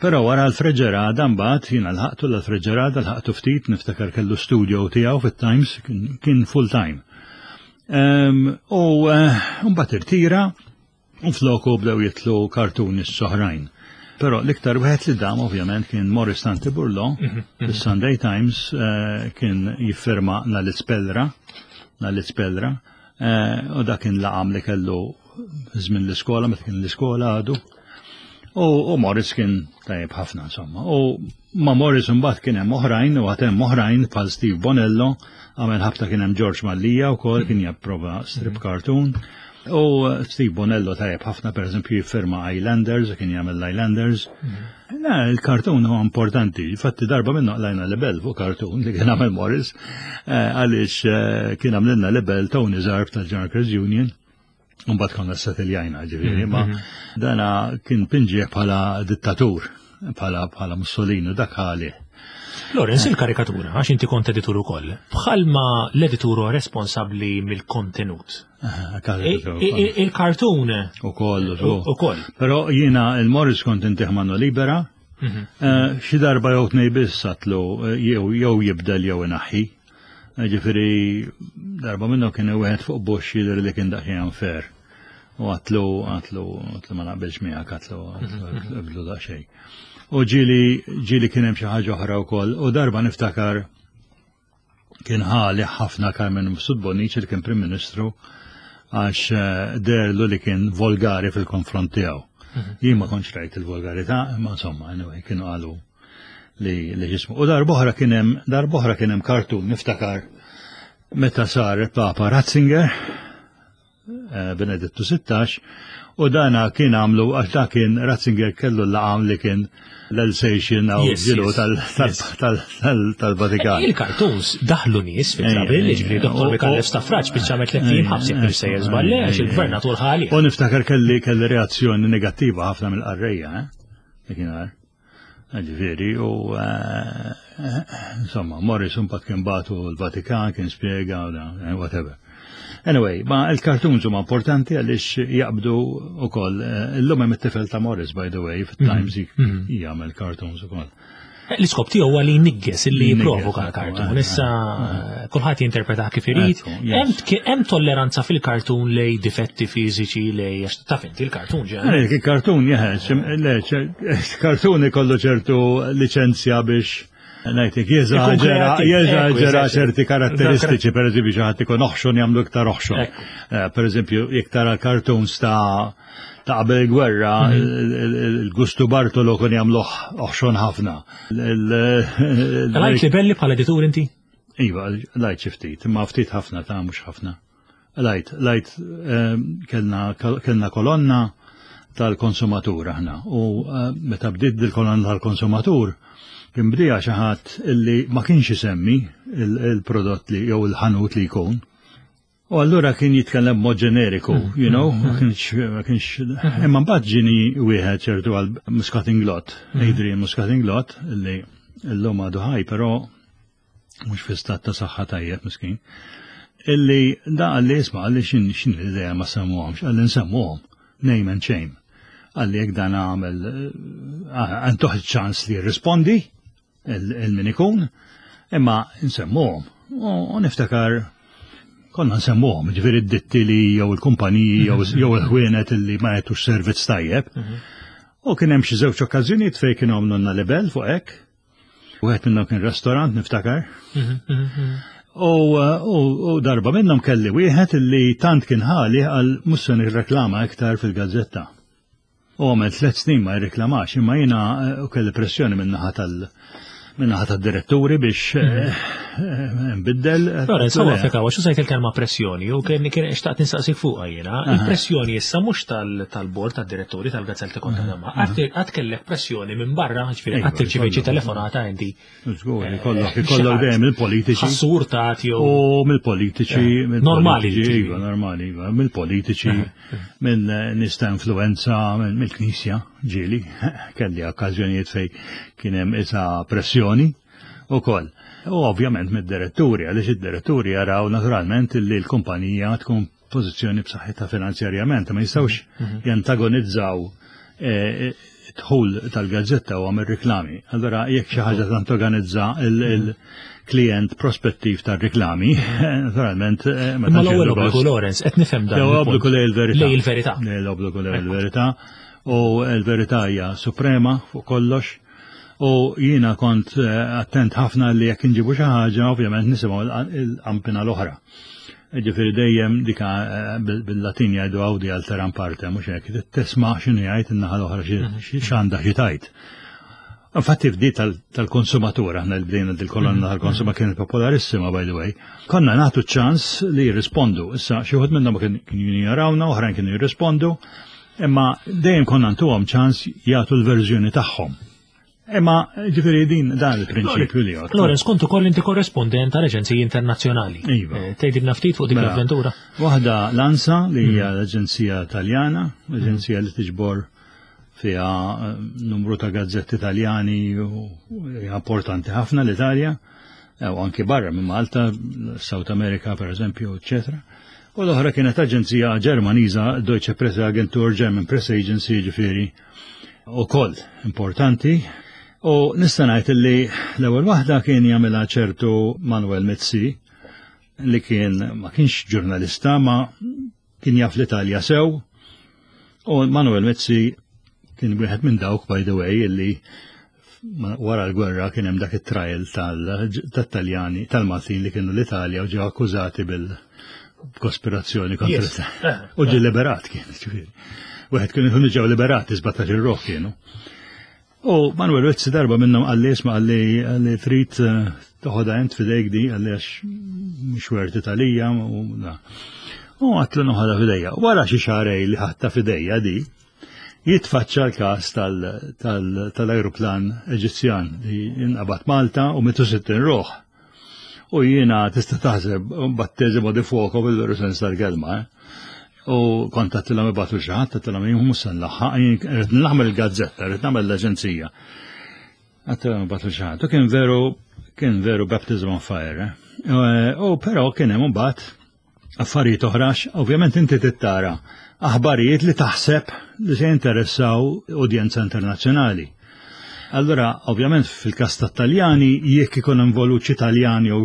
Però wara Alfred Gerada mbagħad jiena lħaqtu l-Alfred Gerada, lħaqtu ftit, niftakar kellu studio tiegħu fit-Times, kien- kien full time. Em, U eh, mbagħad irtira u floku bdew jitlu cartoonists oħrajn. Però l-iktar wieħed li dam ovvjament kien Morris Tanti Burlo, fis-Sunday Times, eh, kien jiffirma Nalispellra, Nalispellra, eh, u dak kien laqam li kellu żmien l-iskola, meta kien l-iskola għadu. U, u Morris kien tajjeb ħafna, insomma. U ma Morris mbagħad kien hemm oħrajn u għad hemm oħrajn bħal Steve Bonello, għamel ħabta kien hemm George Mallia wkoll kien japprova strip cartoon. U Steve Bonello tajjeb ħafna, pereżempju, jiffirma Islanders, kien jagħmel Islanders. Na, il-kartun huwa importanti. Infatti darba minnu qlajna libel fuq kartun li kien għamel Morris, eh, għaliex eh, kien għamlilna libel Tony Zarb tal-General Workers Union. Mbagħad konna settiljajna, ġifieri, ma dana kien pinġieħ bħala dittatur, bħala bħala Mussolini, dak għali. Lawrence, il-karikatura, għax inti kont editur ukoll, bħalma l-editur huwa responsabbli mill-kontenut. Il-kartun U koll, u koll. Però jiena il-Morris kont intih mano libera, eh, xi darba jew tnej biss għedtlu eh, jew jew jibdel jew inaħħi. Eh, Ġifieri darba minnu kien wieħed fuq Bush, jidher li kien daqsxejn unfair. U għedtlu, għedtlu, għedtlu ma naqbilx miegħek, għedtlu, għedtlu ibdlu daqsxejn. U ġieli, ġieli kien hemm xi ħaġa oħra wkoll. U darba niftakar kien ħali ħafna Carmen Mifsud Bonnici li kien Prim Ministru, għax eh, deherlu li kien volgari fil-konfront tiegħu. Jien ma kontx rajt il-volgarità, imma insomma, anyway, kienu qalu li li ġismu. U darb'oħra kien hemm darb'oħra kien hemm kartun, niftakar meta sar Papa Ratzinger, eh, Benedettu Sittax, u dana kien għamlu, għax da kien Ratzinger kellu l-laqam li kien l-Alsatian għaw Yes, ġilu yes, yes. tal-Vatikan. Il-cartoons daħlu nies fil-trabil, Ejja, ġifieri ejja. Dottor U- Micallef u- Stafrace biċċa tliet ijiem ħabs jekk sejjer żball, għax il-gvernatur ħali. U niftakar kelli kelli reazzjoni negattiva ħafna mill-qarrejja, eh? Dakinhar. Ġifieri, u eh, eh, insomma, Morris mbagħad kien bagħtu l-Vatikan, kien spiega, u da, eh, whatever. Anyway, ma il-cartoons huma importanti għaliex jaqbdu ukoll. Illum hemm it-tifel ta' Morris, by the way, fit-Times jagħmel cartoons ukoll. L-iskop tiegħu huwa li jnigges, li Jnigges, jipprovoka ekku, l-kartun. eh, Issa kulħadd jinterpreta kif irid. Ekku, yes. Hemm hemm tolleranza fil-kartun lej difetti fiżiċi, lej għax taf inti l-kartun ġen. Għalek, il-kartun jeħeċ, le, kartun ikollu ċertu licenzja biex ngħidlek, jeżaġera, kreativ, jeżaġera ekku, eżatt. ċerti karatteristiċi, per eżempju, xi ħadd ikun oħxon jagħmlu iktar oħxon. Ekku. Eh, Per eżempju, jekk tara cartoons ta' ta' qabel il-gwerra, il- il- il-Gustu Bartolo kun jagħmlu oħxon ħafna. Il- Rajt libelli bħala editur inti? Iva, rajt xi ftit, imma ftit ħafna ta', mhux ħafna. Rajt, rajt ehm, kellna kellna kolonna tal-konsumatur aħna u eh, meta bdiet il-kolonna tal-konsumatur kien bdija xi ħadd illi ma kienx isemmi il- il-prodott li jew il-ħanut li jkun. U allura kien jitkellem mod ġeneriku, you know, ma kienx, ma kienx, imma mbagħad ġini wieħed ċertu għal Muscat Inglott, Adrian Muscat Inglott, illi llum għadu ħaj, però mhux fi stat ta' saħħa tajjeb, miskin. Illi da qalli, "Isma'," qalli, "xin xin l-idea ma semmuhomx?" Qalli, "Nsemmuhom, name and shame." Qalli, "Jekk dan għamel, għantuħ ċans li jirrispondi il-min ikun, imma nsemmuhom." U niftakar konna nsemmuhom, ġifieri d-ditti li jew il-kumpaniji jew jew il-ħwienet illi ma jagħtux servizz tajjeb. U kien hemm xi żewġ okkażjonijiet fejn kienu għamlu libel fuq hekk. Wieħed minnhom kien restaurant, niftakar. U, u, u darba minnhom kelli wieħed illi tant kien ħali għal mhux se nirreklama iktar fil-gazzetta. U għamel tliet snin ma jirreklamax, imma jiena eh, u kelli pressjoni min-naħa tal- min-naħa tad-diretturi biex eh, eh, nbiddel. Lorenz, għu għafek għax użajt il-kelma pressjoni u kien kien xtaqt nistaqsik fuqha jiena. Il-pressjoni issa mhux tal-bord tad-direttori tal-gazzetta konta damma. Għad kellek pressjoni minn barra, ġifieri Iva, qatt tirċievi ikollok. telefonata inti. Żgur, ikollok ikollok dejjem il-politiċi. Ħassur ta' jew. U mill-politiċi, Normali, mill-politiċi, ġifieri. iva, normali, iva, mill-politiċi, minn eh, nies ta' influenza, minn- mill-Knisja, ġieli, kelli okkażjonijiet fej kien hemm isa pressjoni u koll. U ovvjament mid-diretturi, għaliex id-diretturi jaraw naturalment li l-kumpanija tkun pożizzjoni b'saħħitha finanzjarjament, ma jistgħux jantagonizzaw eh, dħul tal-gazzetta u għamil reklami. Allora, jekk xi ħaġa tantagonizza il-klient prospettiv tar-reklami, naturalment, eh, ma Imma tantx l-ewwel jieħdu obbligu gost. Lorenz, qed nifhem dan. L-ewwel il-punt. obbligu lej il-verità. Lej il-verità. L-obbligu lej il-verità. U l-verità hija suprema fuq kollox. U jiena kont eh, attent ħafna li jekk inġibu xi ħaġa, ovvjament nisimgħu l-qampina l-oħra. Ġifieri dejjem dika eh, bil- bil-Latin jgħidu audi alteram partem, mhux hekk, tisma' x'inhu jgħid in-naħa l-oħra xi- x'għandha xi tgħid. Infatti fdi tal- tal-konsumatur, aħna li bdejna dil-kolonna tal-konsumatur kienet popolarissima, by the way. Konna nagħtu ċans li jirrispondu. Issa xi wħud minnhom kien kienu jarawna, oħrajn kienu jirrispondu, imma dejjem konna ntuhom ċans jagħtu l-verżjoni tagħhom. Imma ġifieri din dan il-prinċipju li jgħod. Lorenz, kont ukoll inti korrespondent tal-Aġenziji Internazzjonali. Iva. Eh, Tgħidilna ftit fuq dik Mela. l-avventura. Waħda l-ANSA li hija l-Aġenzija Taljana, l-Aġenzija li tiġbor fiha eh, numru ta' gazzetti Taljani u hija importanti ħafna l-Italja, eh, u anki barra minn Malta, South America per eżempju, eccetera. U l-oħra kienet aġenzija Ġermaniża, Deutsche Presse Agentur, German Press Agency, ġifieri, u koll importanti. U nista' ngħid li l-ewwel waħda kien jagħmilha ċertu Manuel Mizzi, li kien ma kienx ġurnalista ma kien jaf l-Italja sew. U Manuel Mizzi kien wieħed minn dawk, by the way, illi ma- wara l-gwerra kien hemm dak it-trial tal-Taljani, tal-Maltin li kienu l-Italja u ġew akkużati bil-kospirazzjoni kontra Yes. l-Italja. U ġie liberat kien, ġifieri. Wieħed kienu kienu ġew liberati sbatax ir-ruħ kienu. U Manuel Mizzi darba minnhom qalli isma' qalli qalli trid eh, toħodha int f'idejk di qalli għax mhux werti talija u da. U għedtlu noħodha f'idejja. Wara xi xahrejn li ħadtha f'idejja di, jitfaċċa l-każ tal-ajruplan Eġizzjan li inqabad Malta u mietu sittin ruħ. U jiena tista' taħseb battesimo di fuoco bil-veru sens tal-kelma. Eh? U kont għedtilhom ibagħtu xi ħadd, għedtilhom jien mhux se nlaħħaq, jien rrid nagħmel il-gazzetta, rrid nagħmel l-aġenzija. Għedtilhom ibagħtu xi ħadd. U kien veru kien veru baptism on fire. Eh? U però kien hemm imbagħad affarijiet oħrax, ovvjament inti tittara aħbarijiet li taħseb li se jinteressaw udjenza internazzjonali. Allora, ovvjament fil-kas tat-Taljani, jekk ikun involut xi Taljani u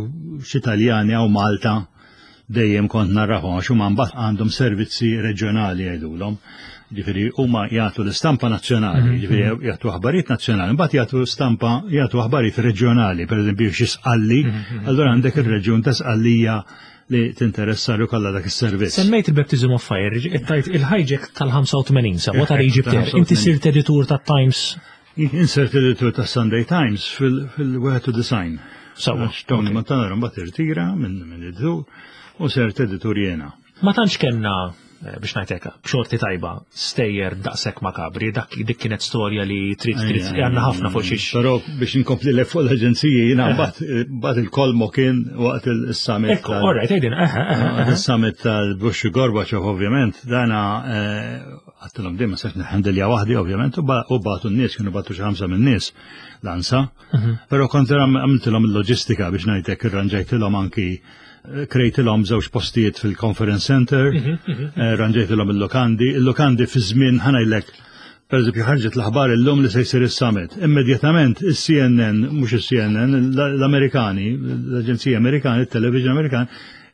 xi Taljani jew Malta, dejjem kont narrahom għax huma mbagħad għandhom servizzi reġjonali jgħidulhom. Ġifieri huma jagħtu l-istampa nazzjonali, ġifieri jagħtu aħbarijiet nazzjonali, mbagħad jagħtu stampa jagħtu aħbarijiet reġjonali, pereżempju xi Sqalli, allura għandek ir-reġjun ta' Sqallija li tinteressa li kollha dak is-servizz. Semmejt il-Baptism of Fire, tajt il-hijack tal-ħamsa u tmenin sa, ta' Egypt Air. Inti sirt editur ta' Times. Jien sirt editur ta' Sunday Times fil-wieħed u disgħin. Sawa. Għax Tony Montanaro mbagħad irtira minn minn editur u sirt editur jiena. Ma tantx kellna, eh, biex ngħidlek, b'xorti tajba, stejjer daqshekk makabri, dak dik kienet storja li trid trid għandna ħafna fuq xiex. Però biex inkompli le fuq l-aġenziji jiena mbagħad mbagħad il-kolmo kien waqt il-summit. Ekku, tal- all right, għidin, eħe, eħe, Waqt eħe. il-summit tal-Bush u Gorbachev ovvjament, dana għedtilhom din ma sax nħandilja waħdi ovvjament u ba- u bagħtu n-nies, kienu bagħtu xi ħamsa minn nies l-ANSA. Però kont għamiltilhom il-loġistika biex ngħidlek irranġajtilhom anki eh, krejtilhom żewġ postijiet fil-conference center, eh, ranġajtilhom il-lokandi, il-lokandi fi żmien ħa ngħidlek per eżempju, ħarġet l-aħbar illum li se jsir is-summit. Immedjatament is-C N N, mhux is-C N N, l-Amerikani, l-Aġenzija Amerikani, il-Television Amerikan,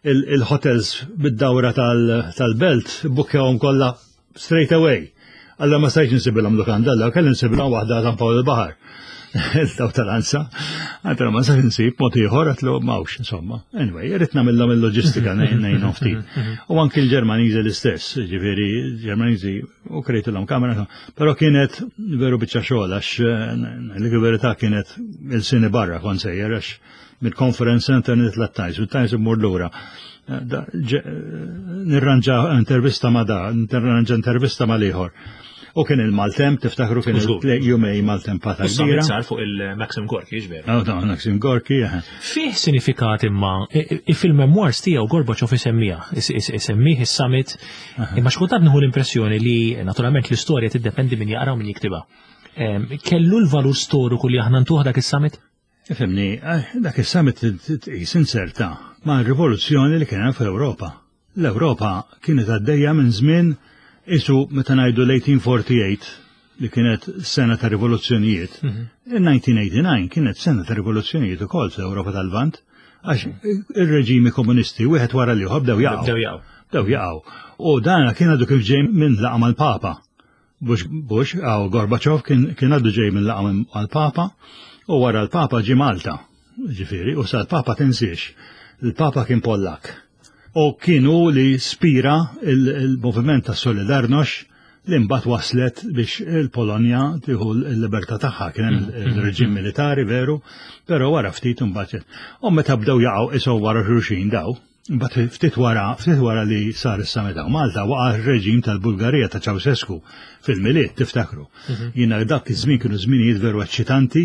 il-hotels bid-dawra tal-belt bukkjawhom kollha straight away. Alla ma stajtx nsibilhom lukanda, alla kelli nsibilhom waħda San Pawl il-Baħar. Daw tal-ANSA. Għedtlu ma nistax insib mod ieħor, għedtlu m'hawnx, insomma. Anyway, irrid nagħmilhom il-loġistika, ngħinhom ftit. U anki l-Ġermaniżi l-istess, ġifieri Ġermaniżi u krejtilhom kamera, però kienet veru biċċa xogħol għax l-verità kienet il-sini barra kont sejjer, għax mill-conference center nitla' Times, mit-Times immur lura. Nirranġa intervista ma da, nirranġa intervista ma l-ieħor. U kien il-Maltemp, tiftakru kien il-jumej maltempata kbira. Sar fuq il-Maxim Gorki, ġveru. Oh, no, Maxim Gorki, Fih sinifikat imma, fil-memoirs tiegħu Gorbachev isemmiha, isemmih is-summit, imma xkultant nieħu l-impressjoni li naturalment l-istorja tiddependi min jaqra u min jiktibha. Kellu l-valur storiku li aħna ntuh dak is-summit? Ifhimni, eh, dak is-summit tqis inserta ma' rivoluzzjoni li kien hemm fl-Ewropa. L-Ewropa kienet għaddejja minn żmien isu meta ngħidu l-elf disa' mija u erbgħa u tletin li kienet sena ta' rivoluzzjonijiet. Mhm. Il-elf disa' mija u disgħa u disgħin kienet sena ta' rivoluzzjonijiet ukoll fl-Ewropa tal-Lvant, għax ir-reġimi komunisti wieħed wara l-ieħor bdew jaqgħu. Bdew jaqgħu. Bdew jaqgħu. U dan kien għadu kif ġej minn laqgħa mal-Papa. Bush, Bush, għaw Gorbachev kien għadu ġej minn laqgħa mal-Papa u wara l-Papa ġi Malta. Ġifieri, u sa l-Papa tinsiex. Il-Papa kien Pollak u kienu li spira il-moviment ta' Solidarność li mbagħad waslet biex il-Polonja tieħu l-libertà tagħha. Kien hemm mm, mm, il-reġim mm. militari veru, però wara ftit imbagħad. U meta bdew jaqgħu isu wara xulxin daw, mbagħad ftit wara ftit wara li sar is-summit Malta waqa' r-reġim tal-Bulgarija ta' Ceausescu fil-Milied, tiftakru. Mhm. Jiena dak iż-żmien kienu żminijiet veru eċċitanti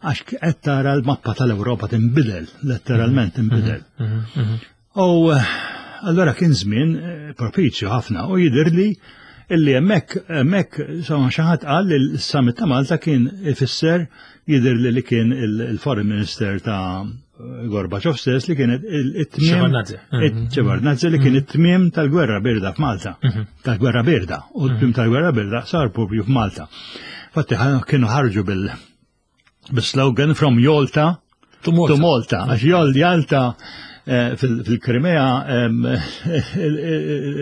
għax qed tara l-mappa tal-Ewropa tinbidel, letteralment tinbidel. Mhm, U eh, allora kien żmien eh, propizju ħafna u jidirli illi hemmhekk hemmhekk insomma xi ħadd qal li l-summit ta' Malta kien ifisser, jidirli li kien il-foreign minister ta' Gorbachev stess, li kienet it-tmiem Shevardnadze, li kien it-tmiem tal-gwerra birda f'Malta. Mhm. Tal-gwerra birda. U t-tmiem tal-gwerra birda sar propju f'Malta. Fatti kienu ħarġu bil bil-slogan "From Yalta to Malta". To Malta. Għax Jalta eh, fil-Krimea,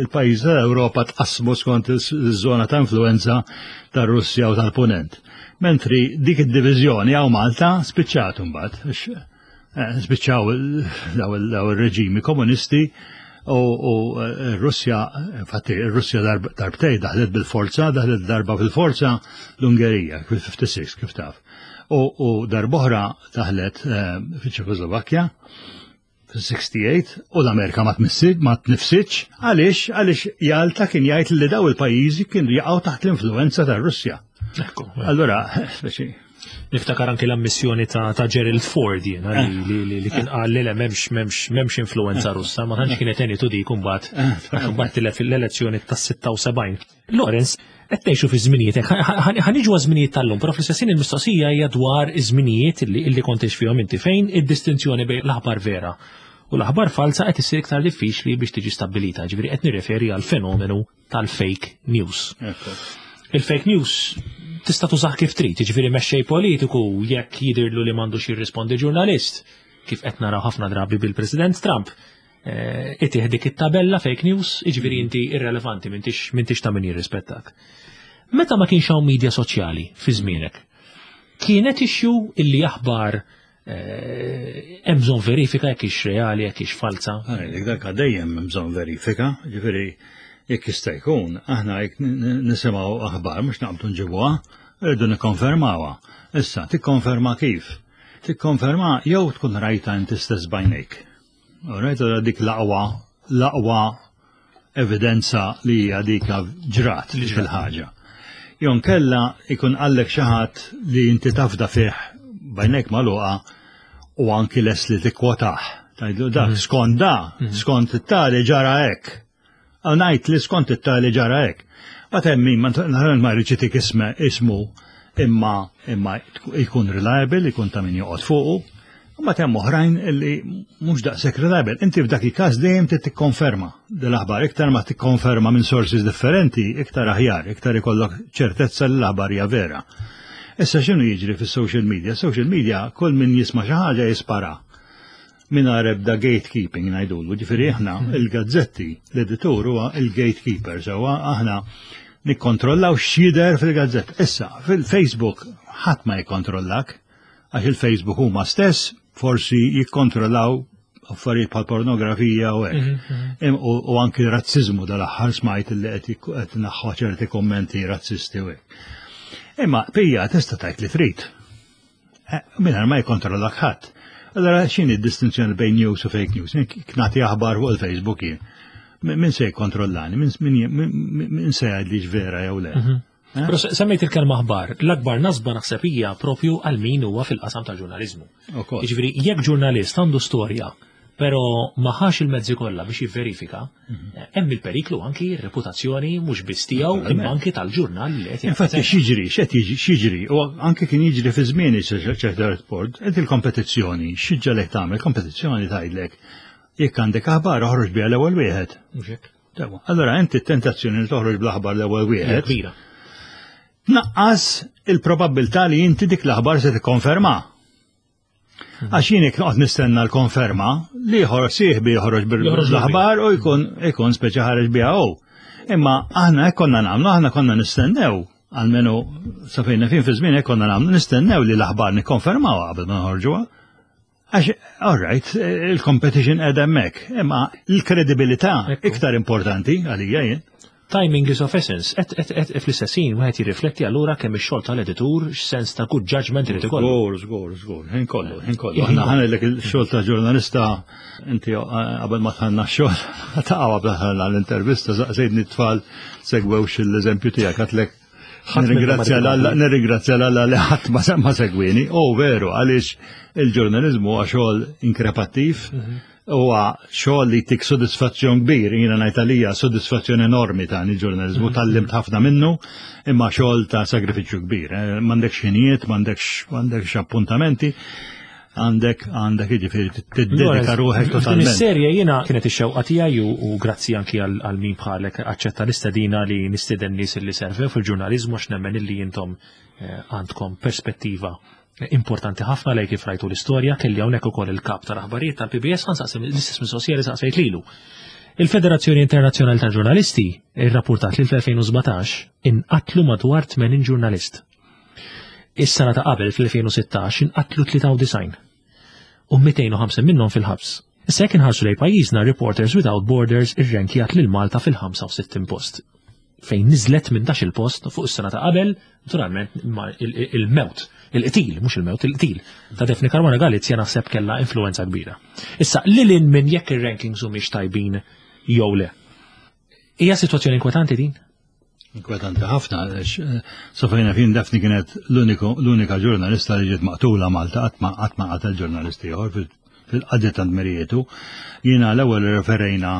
il-pajjiż tal-Ewropa tqasmu skont iż-żona ta' influenza tar-Russja u tal-Punent. Mentri dik id-diviżjoni hawn Malta spiċċat imbagħad. Eh, spiċċaw daw il-reġimi komunisti u eh, Russja, infatti Russja darbtej daħlet bil-forza, daħlet darba fil-forza l-Ungerija, fil-ħamsa u ħamsin kif taf. U darb'oħra daħlet eh, fil-Ċekoslovakkja fil-sitta u sittin u l-Amerika ma tmissit, ma tnifsitx, għaliex għaliex Jalta kien jgħid li daw il-pajjiżi kienu jaqgħu taħt l-influenza tar-Russja. Allora, speċi Niftakar anki l-ammissjoni ta', ta Gerald Ford jiena li, li, li, li kien qal li le, m'hemmx m'hemmx m'hemmx influenza Russa, ma tantx kienet għenitu dik imbagħad għax imbagħad tilef l-elezzjoni tas-sitta u sebgħin. Lawrence, qed ngħixu fi żminijiet, ħa niġu żminijiet tal-lum, però fl-istess il-mistoqsija hija dwar iż-żminijiet li illi kont fihom inti, fejn id-distinzjoni bejn l-aħbar vera u l-aħbar falsa qed issir iktar diffiċli biex tiġi stabbilita, ġifieri qed nirreferi għal fenomenu tal-fake news. Il-fake news tista' tużah kif trid, jiġifieri mexxej politiku jekk jidirlu li m'għandux jirrispondi ġurnalist, kif qed naraw ħafna drabi bil-President Trump, eh, itih dik it-tabella fake news, jiġifieri inti irrelevanti, m'intix m'intix ta' min jirrispettak. Meta ma kienx hawn media soċjali fi żmienek, kienet issue illi aħbar eh, hemm bżonn verifika jekk hix reali, jekk hix falsa? Dik dak dejjem hemm bżonn verifika, ġifieri jekk jista' jkun, aħna jekk nisimgħu aħbar mhux naqbdu nġibuha, rridu nikkonfermawha. Issa, tikkonferma kif? Tikkonferma jew tkun rajta inti stess b'għajnejk. Rajta dik l-aqwa l-aqwa evidenza li hija dik ġrat dik il-ħaġa. Jew inkella ikun qallek xi ħadd li inti tafda fih b'għajnejk magħluqa u anki les li tikkwotah. Tgħidlu dak mhm. skont da, mhm. skont it-tali ġara hekk. Għal li skont it-tali ġara hekk. Ma temmin, ma ma rridx isme ismu, imma imma jkun reliable, jkun ta' min joqgħod fuqu. Ma hemm oħrajn illi mhux daqshekk reliable. Inti f'dak il-każ dejjem trid tikkonferma l-aħbar. Iktar ma tikkonferma minn sources differenti, iktar aħjar, iktar ikollok ċertezza li l-aħbar hija vera. Issa x'inhu jiġri fis-social media? Social media kull min jisma' xi ħaġa jispara mingħajr ebda gatekeeping ngħidulu. Ġifieri aħna il-gazzetti, l-editur huwa il-gatekeeper, sewwa, aħna Nikkontrollaw x'jidher fil-gazzetta. Issa, fil-Facebook ħadd ma jikkontrollak, għax il-Facebook huma stess forsi jikkontrollaw affarijiet bħal pornografija u hekk. Mhm, mhm. U anki razzizmu, dal-aħħar smajt li qed naħħu ċerti kommenti razzisti u hekk. Imma pija tista' tgħid li trid. Eh, mingħajr ma jikkontrollak ħadd. Allora x'inhi d-distinzjoni bejn news u fake news? Nagħti aħbar fuq il-Facebook jien. Min se jikkontrollani? Min se jgħidli vera jew le? Mhm. Eh? Però semmejt il-kelma aħbar, l-akbar nasba naħseb hija propju għal min huwa fil-qasam tal-ġurnaliżmu. Jiġifieri jekk ġurnalist għandu storja pero ma ħax il-mezzi kollha biex jivverifika, mhm. hemm il-periklu anki r-reputazzjoni mhux biss tiegħu imma anki tal-ġurnal li qed. Infatti x'jiġri, x'qed jiġri, u anki kien jiġri fi żmieni ċerta report, qed il-kompetizzjoni, x'ġalek tagħmel kompetizzjoni tgħidlek jekk għandek aħbar, oħroġ biha l-ewwel wieħed. Allora inti t-tentazzjoni li toħroġ bl-aħbar l-ewwel wieħed. Kbira. Naqqas il-probabbiltà li inti dik l-aħbar se tikkonferma. Għax jien jekk noqgħod nistenna l-konferma, li ieħor sieħbi joħroġ bil-aħbar u jkun ikun speċi ħareġ biha hu. Imma aħna hekk konna nagħmlu, aħna konna nistennew, almenu sa fejn fin fi żmien hekk konna nagħmlu, nistennew li l-aħbar nikkonfermaw qabel ma noħorġuha. Għax, all right, il-competition qed hemmhekk, imma l-kredibilità iktar importanti għalija jien. Timing is of essence. Et, et, et, fl-istess ħin wieħed jirrifletti allura kemm ix-xogħol tal-editur, x'sens ta' good judgment irid ikollu. Żgur, żgur, żgur, ħin kollu, ħin kollu. Aħna ħanilek il-xogħol ta' ġurnalista, inti eh, qabel ma tħanna x-xogħol, ta' qabel tħanna l-intervista, saqsejtni t-tfal segwewx l-eżempju tiegħek, għedtlek nirringrazzja l-Alla, nirringrazzja l-Alla li ħadd ma segwini. Oh veru, għaliex il-ġurnalizmu huwa xogħol inkrepattiv, mhm. huwa xogħol li tik sodisfazzjon kbir, jiena ngħid għalija sodisfazzjon enormi ta' il-ġurnalizmu, mhm. tgħallimt ħafna minnu, imma xogħol ta' sagrifiċċju kbir. Eh, m'għandekx ħinijiet, m'għandekx m'għandekx appuntamenti, għandek għandek jiġifieri tiddedika ruħek totalment. Is-serje jiena kienet ix-xewqa tiegħi u grazzi anki għal min bħalek aċċetta l-istedina li nistieden nies li servew fil-ġurnaliżmu, għax nemmen illi intom eh, għandkom perspettiva importanti ħafna lej kif rajtu l-istorja. Kelli hawnhekk ukoll il-kap tal-aħbarijiet tal-P B S, ħa nsaqsi l-istess mistoqsija li saqsejt lilu. Il-Federazzjoni Internazzjonali tal-Ġurnalisti irrapportat li fl-elfejn u sbatax inqatlu madwar tmenin ġurnalist. Is-sena ta' qabel, fl-elfejn u sittax, inqatlu tlieta u disgħin u mitejn u ħamsin minnhom fil-ħabs. Issa jekk inħarsu lej pajjiżna, Reporters Without Borders irrenkjat lil Malta fil-ħamsa u sittin post, fejn niżlet minn dak il-post fuq is-sena ta' qabel, naturalment il-mewt, il-qtil, mhux il-mewt, il-qtil ta' Daphne Caruana Galizia naħseb kellha influenza kbira. Issa, lil hinn minn jekk ir-rankings humiex tajbin jew le. Hija sitwazzjoni inkwetanti din? Inkwetanti ħafna, eh, sa fejn naf jien Daphne kienet l-unika ġurnalista li ġiet maqtula Malta, qatt ma qatel ġurnalisti ieħor fil-qadi ta' dmirijietu. Jiena l-ewwel referejna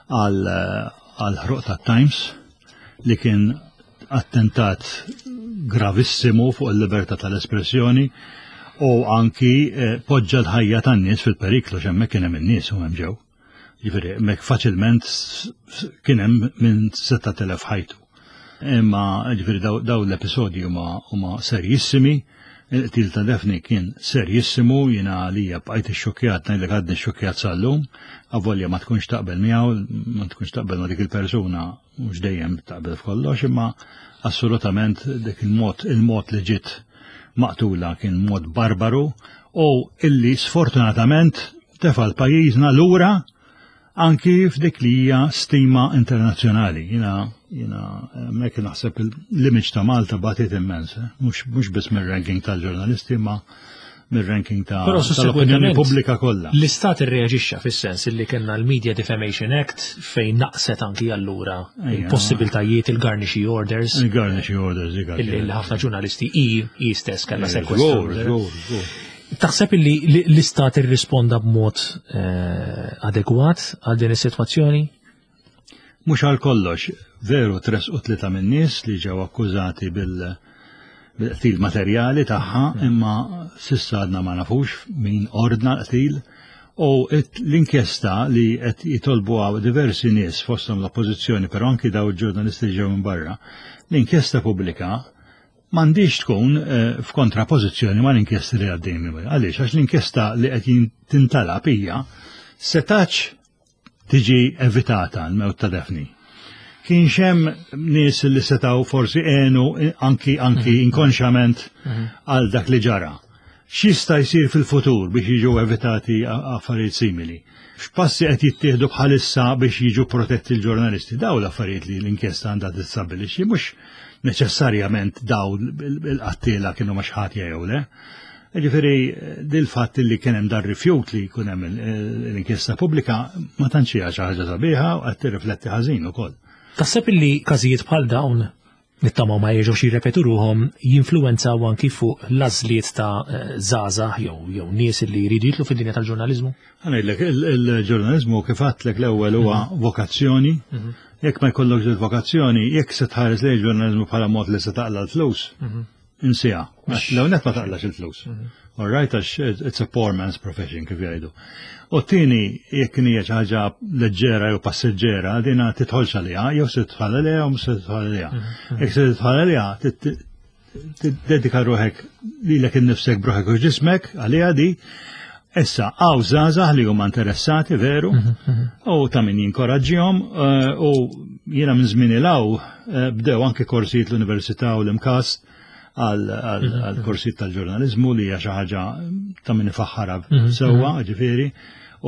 għal ħruq ta' Times li kien attentat gravissimu fuq il-libertà tal-espressjoni u anki eh, poġġa l-ħajja tan-nies fil-periklu, x'hemmhekk kien hemm in-nies u hemm ġew. Jiġifieri hemmhekk faċilment kien hemm minn sett telef ħajtu. Imma jiġifieri daw l-episodji huma serjissimi, il-qtil ta' Daphne kien serjissimu, jiena għalija bqajt ixxukjat, ngħidlek għadni xokjat sal-lum, avolja ma tkunx taqbel miegħu, ma tkunx taqbel ma dik il-persuna, mhux dejjem taqbel f'kollox, imma assolutament dik il-mod il-mod li ġiet maqtula kien mod barbaru u illi sfortunatament tefa' l-pajjiżna lura anki f'dik li hija stima internazzjonali. Jiena jiena hemmhekk naħseb l-image ta' Malta batiet immens, eh? mhux biss mir-ranking tal-ġurnalisti, ma mir-ranking ta' tal-opinjoni pubblika kollha. L-istat irreaġixxa fis-sens li kellna l-Media Defamation Act fejn naqset anki allura il-possibiltajiet, il-garnishee orders. Il-garnishee orders. Il ħafna ġurnalisti i i stess kellha sekwestru. Taħseb li l-istat irrisponda b'mod eh, adegwat għal din is-sitwazzjoni? Mhux għal kollox, veru tressqu tlieta minn nies li ġew akkużati bil- bil-qtil materjali tagħha, imma s'issa għadna ma nafux min ordna l-qtil u l-inkjesta li qed jitolbuha diversi nies, fosthom l-oppożizzjoni, però anki daw il-ġurnalisti ġew minn barra, l-inkjesta pubblika m'għandix tkun eh, f'kontrapożizzjoni ma' l-inkjesta li għaddejjem. Għaliex? Għax l-inkjesta li qed tintalab hija setax tiġi evitata l-mewt ta' Daphne. Kienx hemm nies li setgħu forsi għenu anki anki mhm. inkonxjament mhm. għal dak li ġara. X'jista' jsir fil-futur biex jiġu evitati affarijiet simili? X'passi qed jittieħdu bħalissa biex jiġu protetti l-ġurnalisti? Daw l-affarijiet li l-inkjesta għandha tistabbilixxi, mhux neċessarjament daw il-qattila kienu ma ħatja jew le. Ġifieri dil-fatt li kien hemm dar rifjut li jkun hemm l-inkjesta pubblika ma tantx hija xi ħaġa sabiħa u qed tirrifletti ħażin ukoll. Taħseb li każijiet bħal dawn, nittamaw ma jerġgħux jirrepetu ruhom, jinfluwenzaw anki fuq l-għażliet ta' żgħażagħ jew jew nies li jridu jidħlu fid-dinja tal-ġurnaliżmu? Ħa ngħidlek, il-ġurnaliżmu, kif għedtlek l-ewwel, huwa mhm. vokazzjoni. Mhm. Jekk ma jkollokx il-vokazzjoni, jekk se tħares lejn il-ġurnaliżmu bħala mod li se taqla l-flus, mhm. insieha. L-ewwel ma taqlax il-flus. All right, għax it's a poor man's profession, kif jgħidu. U t-tieni, jekk hija xi ħaġa leġġera jew passiġġera, dina tidħolx għaliha, jew se tidħol għaliha jew se tidħol għaliha. Mhm. Jekk se tidħol għaliha, tiddedika ruħek lilek innifsek b'ruħek u ġismek għaliha di. Issa, hawn żgħażagħ li huma interessati veru, mhm, mhm. u ta' min jinkoraġġihom, eh, u jiena minn żmien 'l hawn eh, bdew anke korsijiet l-Università u l-MCAST għal korsijiet tal-ġurnalizmu, li hija xi ħaġa ta' min ifaħħarha mhm, sewwa, mhm. ġifieri,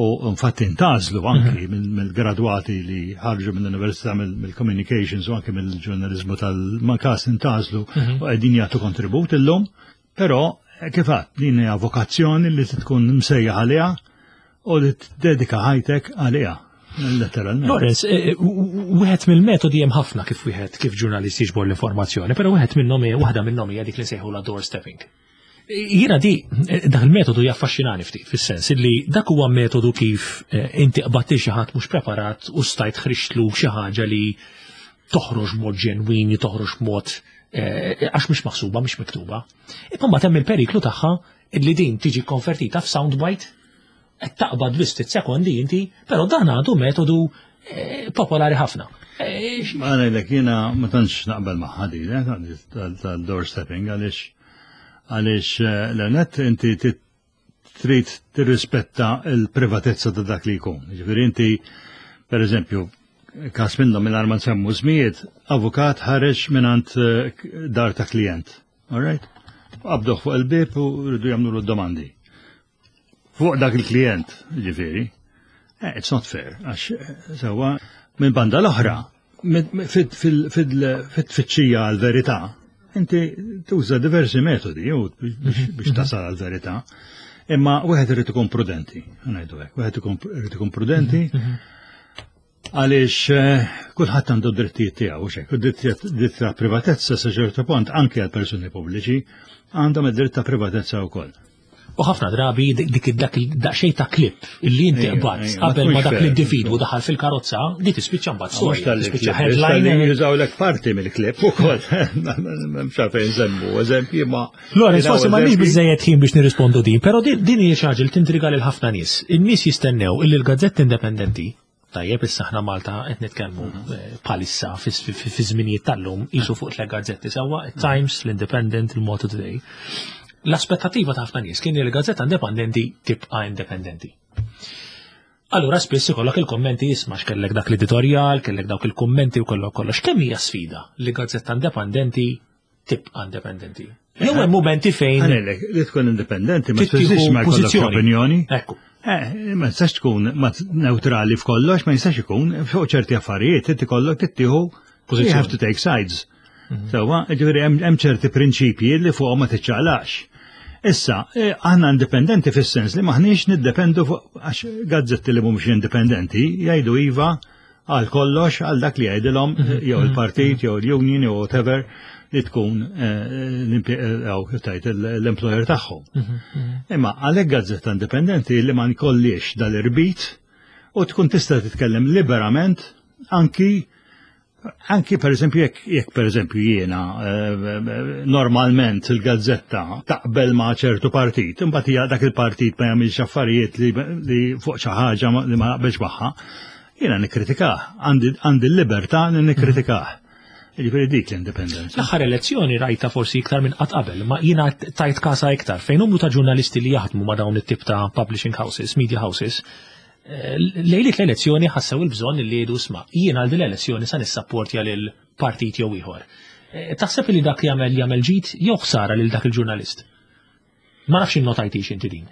u infatti intgħażlu anki mhm. mill-gradwati li ħarġu mill-Università mill-Communications u anki mill-ġurnalizmu tal-MCAST intgħażlu u qegħdin jagħtu kontribut illum, però kif għedt, din hija vokazzjoni li tkun msejjaħ għaliha u li tiddedika ħajtek għaliha. Letteralment. Lawrence, eh, eh, wieħed mill-metodi, hemm ħafna kif wieħed kif ġurnalist jiġbor l-informazzjoni, però wieħed minnhom waħda minnhom hija dik li sejħu doorstepping. Jiena di, eh, dak il-metodu jaffaxxinani ftit, fis-sens li dak huwa metodu kif inti qbadti xi ħadd mhux preparat u stajt ħriġtlu xi ħaġa li toħroġ mod ġenwini, toħroġ mod għax mhux maħsuba, mhux miktuba. Imma mbagħad hemm il-periklu tagħha li din tiġi konvertita f'soundbite, qed taqbad biss ftit sekondi inti, però dan għadu metodu eh, popolari ħafna. Eh, Ma ngħidlek, jiena ma tantx naqbel magħha di eh, tal-doorstepping, għaliex għaliex l-net inti trid tirrispetta il-privatezza ta' dak li jkun. Ġifieri inti, per eżempju, każ minnhom minn ma nsemmu ismijiet, avukat ħareġ mingħand dar ta' klient. All right? Qabduh fuq il-bib u rridu jagħmlu domandi fuq dak il-klient, ġifieri. Eh, it's not fair, għax eh, sewa minn banda l-oħra, fit-tfittxija għal-verità, inti tuża diversi metodi biex tasal għal-verità. Imma wieħed irid ikun prudenti, ngħidu hekk, wieħed irid ikun prudenti għaliex eh, kulħadd għandu drittijiet tiegħu xek, u dritt ta' privatezza sa ċertu punt anke għal persuni pubbliċi għandhom id-dritt ta' privatezza wkoll. U ħafna drabi dik dak daqsxejn ta' klip illi inti qbad qabel ma dak l-individwu daħal fil-karozza, li tispiċċa mbagħad storja, tispiċċa headline. Jużawlek parti mill-klip ukoll. Mhux fejn nsemmu eżempji ma. Lorenz, forsi m'għandniex biżejjed ħin biex nirrispondu din, però din hija xi ħaġa li tintriga lil ħafna nies. In-nies jistennew illi l-gazzetti indipendenti. Tajjeb, issa aħna Malta qed nitkellmu eh, bħalissa fi żminijiet tal-lum qisu fuq tliet gazzetti sewwa, Times, l-Independent, il-Malta Today. L-aspettativa ta' ħafna nies kien li l-gazzetta indipendenti tibqa' indipendenti. Allura spiss ikollok il-kommenti, isma' x'kellek dak l-editorjal, kellek dawk il-kommenti u kollok kollox. Kemm hija sfida li gazzetta indipendenti tibqa' indipendenti? Jew hemm momenti fejn Ħa ngħidlek, li tkun indipendenti ma tfissirx ma jkollokx opinjoni. Ekku. Eh, ma tistax tkun neutrali f'kollox, ma jistax ikun fuq ċerti affarijiet, inti kollok tittieħu, you have to take sides. Mhm. Sewwa, ġifieri hemm ċerti prinċipji li fuqhom ma tiċċaqlax. Issa, eh, aħna indipendenti fis-sens li maħniex niddependu fuq, għax gazzetti li mhumiex indipendenti jgħidu iva għal kollox, għal dak li jgħidilhom mhm. jew il-partit jew l-union jew whatever li tkun eh, tajt l-employer tagħhom. Mhm, Imma għalhekk gazzetta indipendenti li ma nkollix dal-irbit u tkun tista' titkellem liberament anki Anki per eżempju, jekk jekk per eżempju jiena eh, normalment il-gazzetta taqbel ma' ċertu partit, imbagħad hija dak il-partit ma jagħmilx affarijiet li, li fuq xi ħaġa li ma naqbelx magħha, jiena nikkritikah, għandi l-libertà li nikkritikah. Ġifieri dik l-indipendenza. L-aħħar elezzjoni rajta forsi iktar minn qatt qabel, ma jiena tajt kasa iktar fejn numru ta' ġurnalisti li jaħdmu ma' dawn it-tip ta' publishing houses, media houses, eh, lejliet l-elezzjoni ħassew il-bżonn li jgħidu isma' jien għal din l-elezzjoni sa nissapportja lil partit jew ieħor. Eh, taħseb li dak jagħmel jagħmel ġid jew ħsara lil dak il-ġurnalist? Ma nafx innotajtix inti din.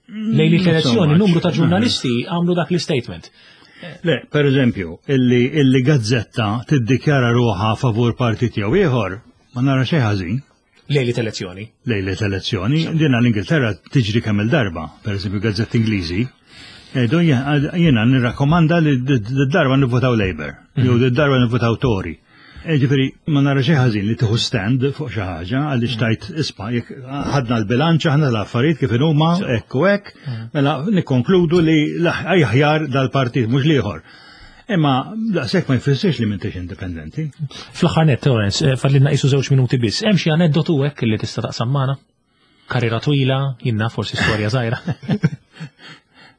Lejliet l-elezzjoni numru ta' ġurnalisti għamlu dak l-statement. Le, per eżempju, illi, illi gazzetta tiddikjara ruħha favur partit jew ieħor, ma nara xejn ħażin. Lejliet elezzjoni. Lejliet elezzjoni, dina l-Ingilterra tiġri kemm il-darba, per eżempju gazzetti Ingliżi, jgħidu jiena nirrakkomanda li d-darba nivvotaw Labour, jew d-darba nivvotaw Tory. Ġifieri, ma nara xejn ħażin li tieħu stand fuq xi ħaġa għaliex tajt isma' jekk ħadna l-bilanċ aħna l-affarijiet kif huma hekk u hekk, mela nikkonkludu li aħjar dal-partit mhux l-ieħor. Imma daqshekk ma jfissirx li m'intix indipendenti. Fl-aħħar nett, Lawrence, eh, fadlilna qisu żewġ minuti biss. Hemm xi aneddotu hekk li tista' taqsam magħna? Karriera twila, jiena forsi storja żgħira.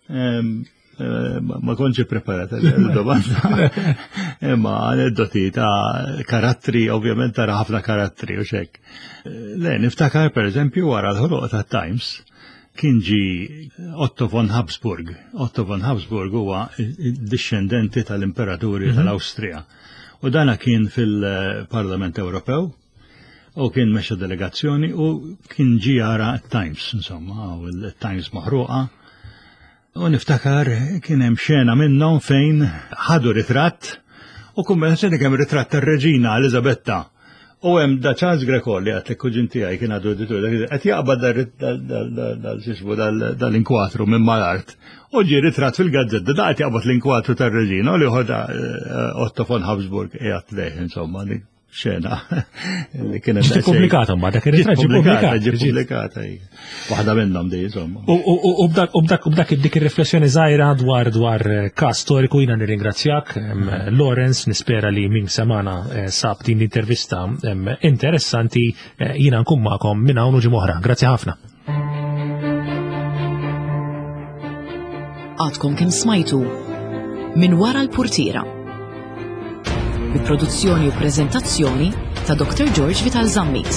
Em, eh, Ma kontx preparata l-domanda. Imma aneddoti ta' karattri, ovvjament tara ħafna karattri u xek. Le, niftakar per eżempju wara l-ħoloq ta' Times kien ġi Otto von Habsburg. Otto von Habsburg huwa discendenti tal-imperaturi tal-Awstrija. U dana kien fil-Parlament Ewropew u kien mexa delegazzjoni u kien ġi jara Times, insomma, u l-Times maħruqa. U niftakar kien hemm xena minnhom fejn ħadu ritratt u kumbinazzjoni kemm ritratt tar-reġina Elizabetta. U hemm da Charles Greco li għat kuġin tiegħi kien għadu editur, qed jaqbad dal-xismu dal-inkwatru minn mal-art. U ġie ritratt fil-gazzetta, da qed jaqbad l-inkwatru tar-reġina u li ħoda Otto von Habsburg qiegħed lejh, insomma, dik xena li kienet Ġiet ippubblikata mbagħad dak ir-ritratt ġie Ġiet ppubblikat. ġie pubblikata, ija. Waħda minnhom di, insomma. U u- u b'dak u b'dak u b'dak dik ir-riflessjoni żgħira dwar dwar eh, każ storiku jiena nirringrazzjak em, Lawrence, nispera li min semana eh, sab din l-intervista em, interessanti, eh, jiena nkun magħkom minn hawn u ġimgħa oħra. Grazzi ħafna. Għadkom kemm smajtu Minn wara l-purtiera. Bi produzzjoni u prezentazzjoni ta' Doctor George Vital Zammit.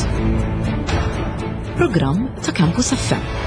Programm ta' Campus F M.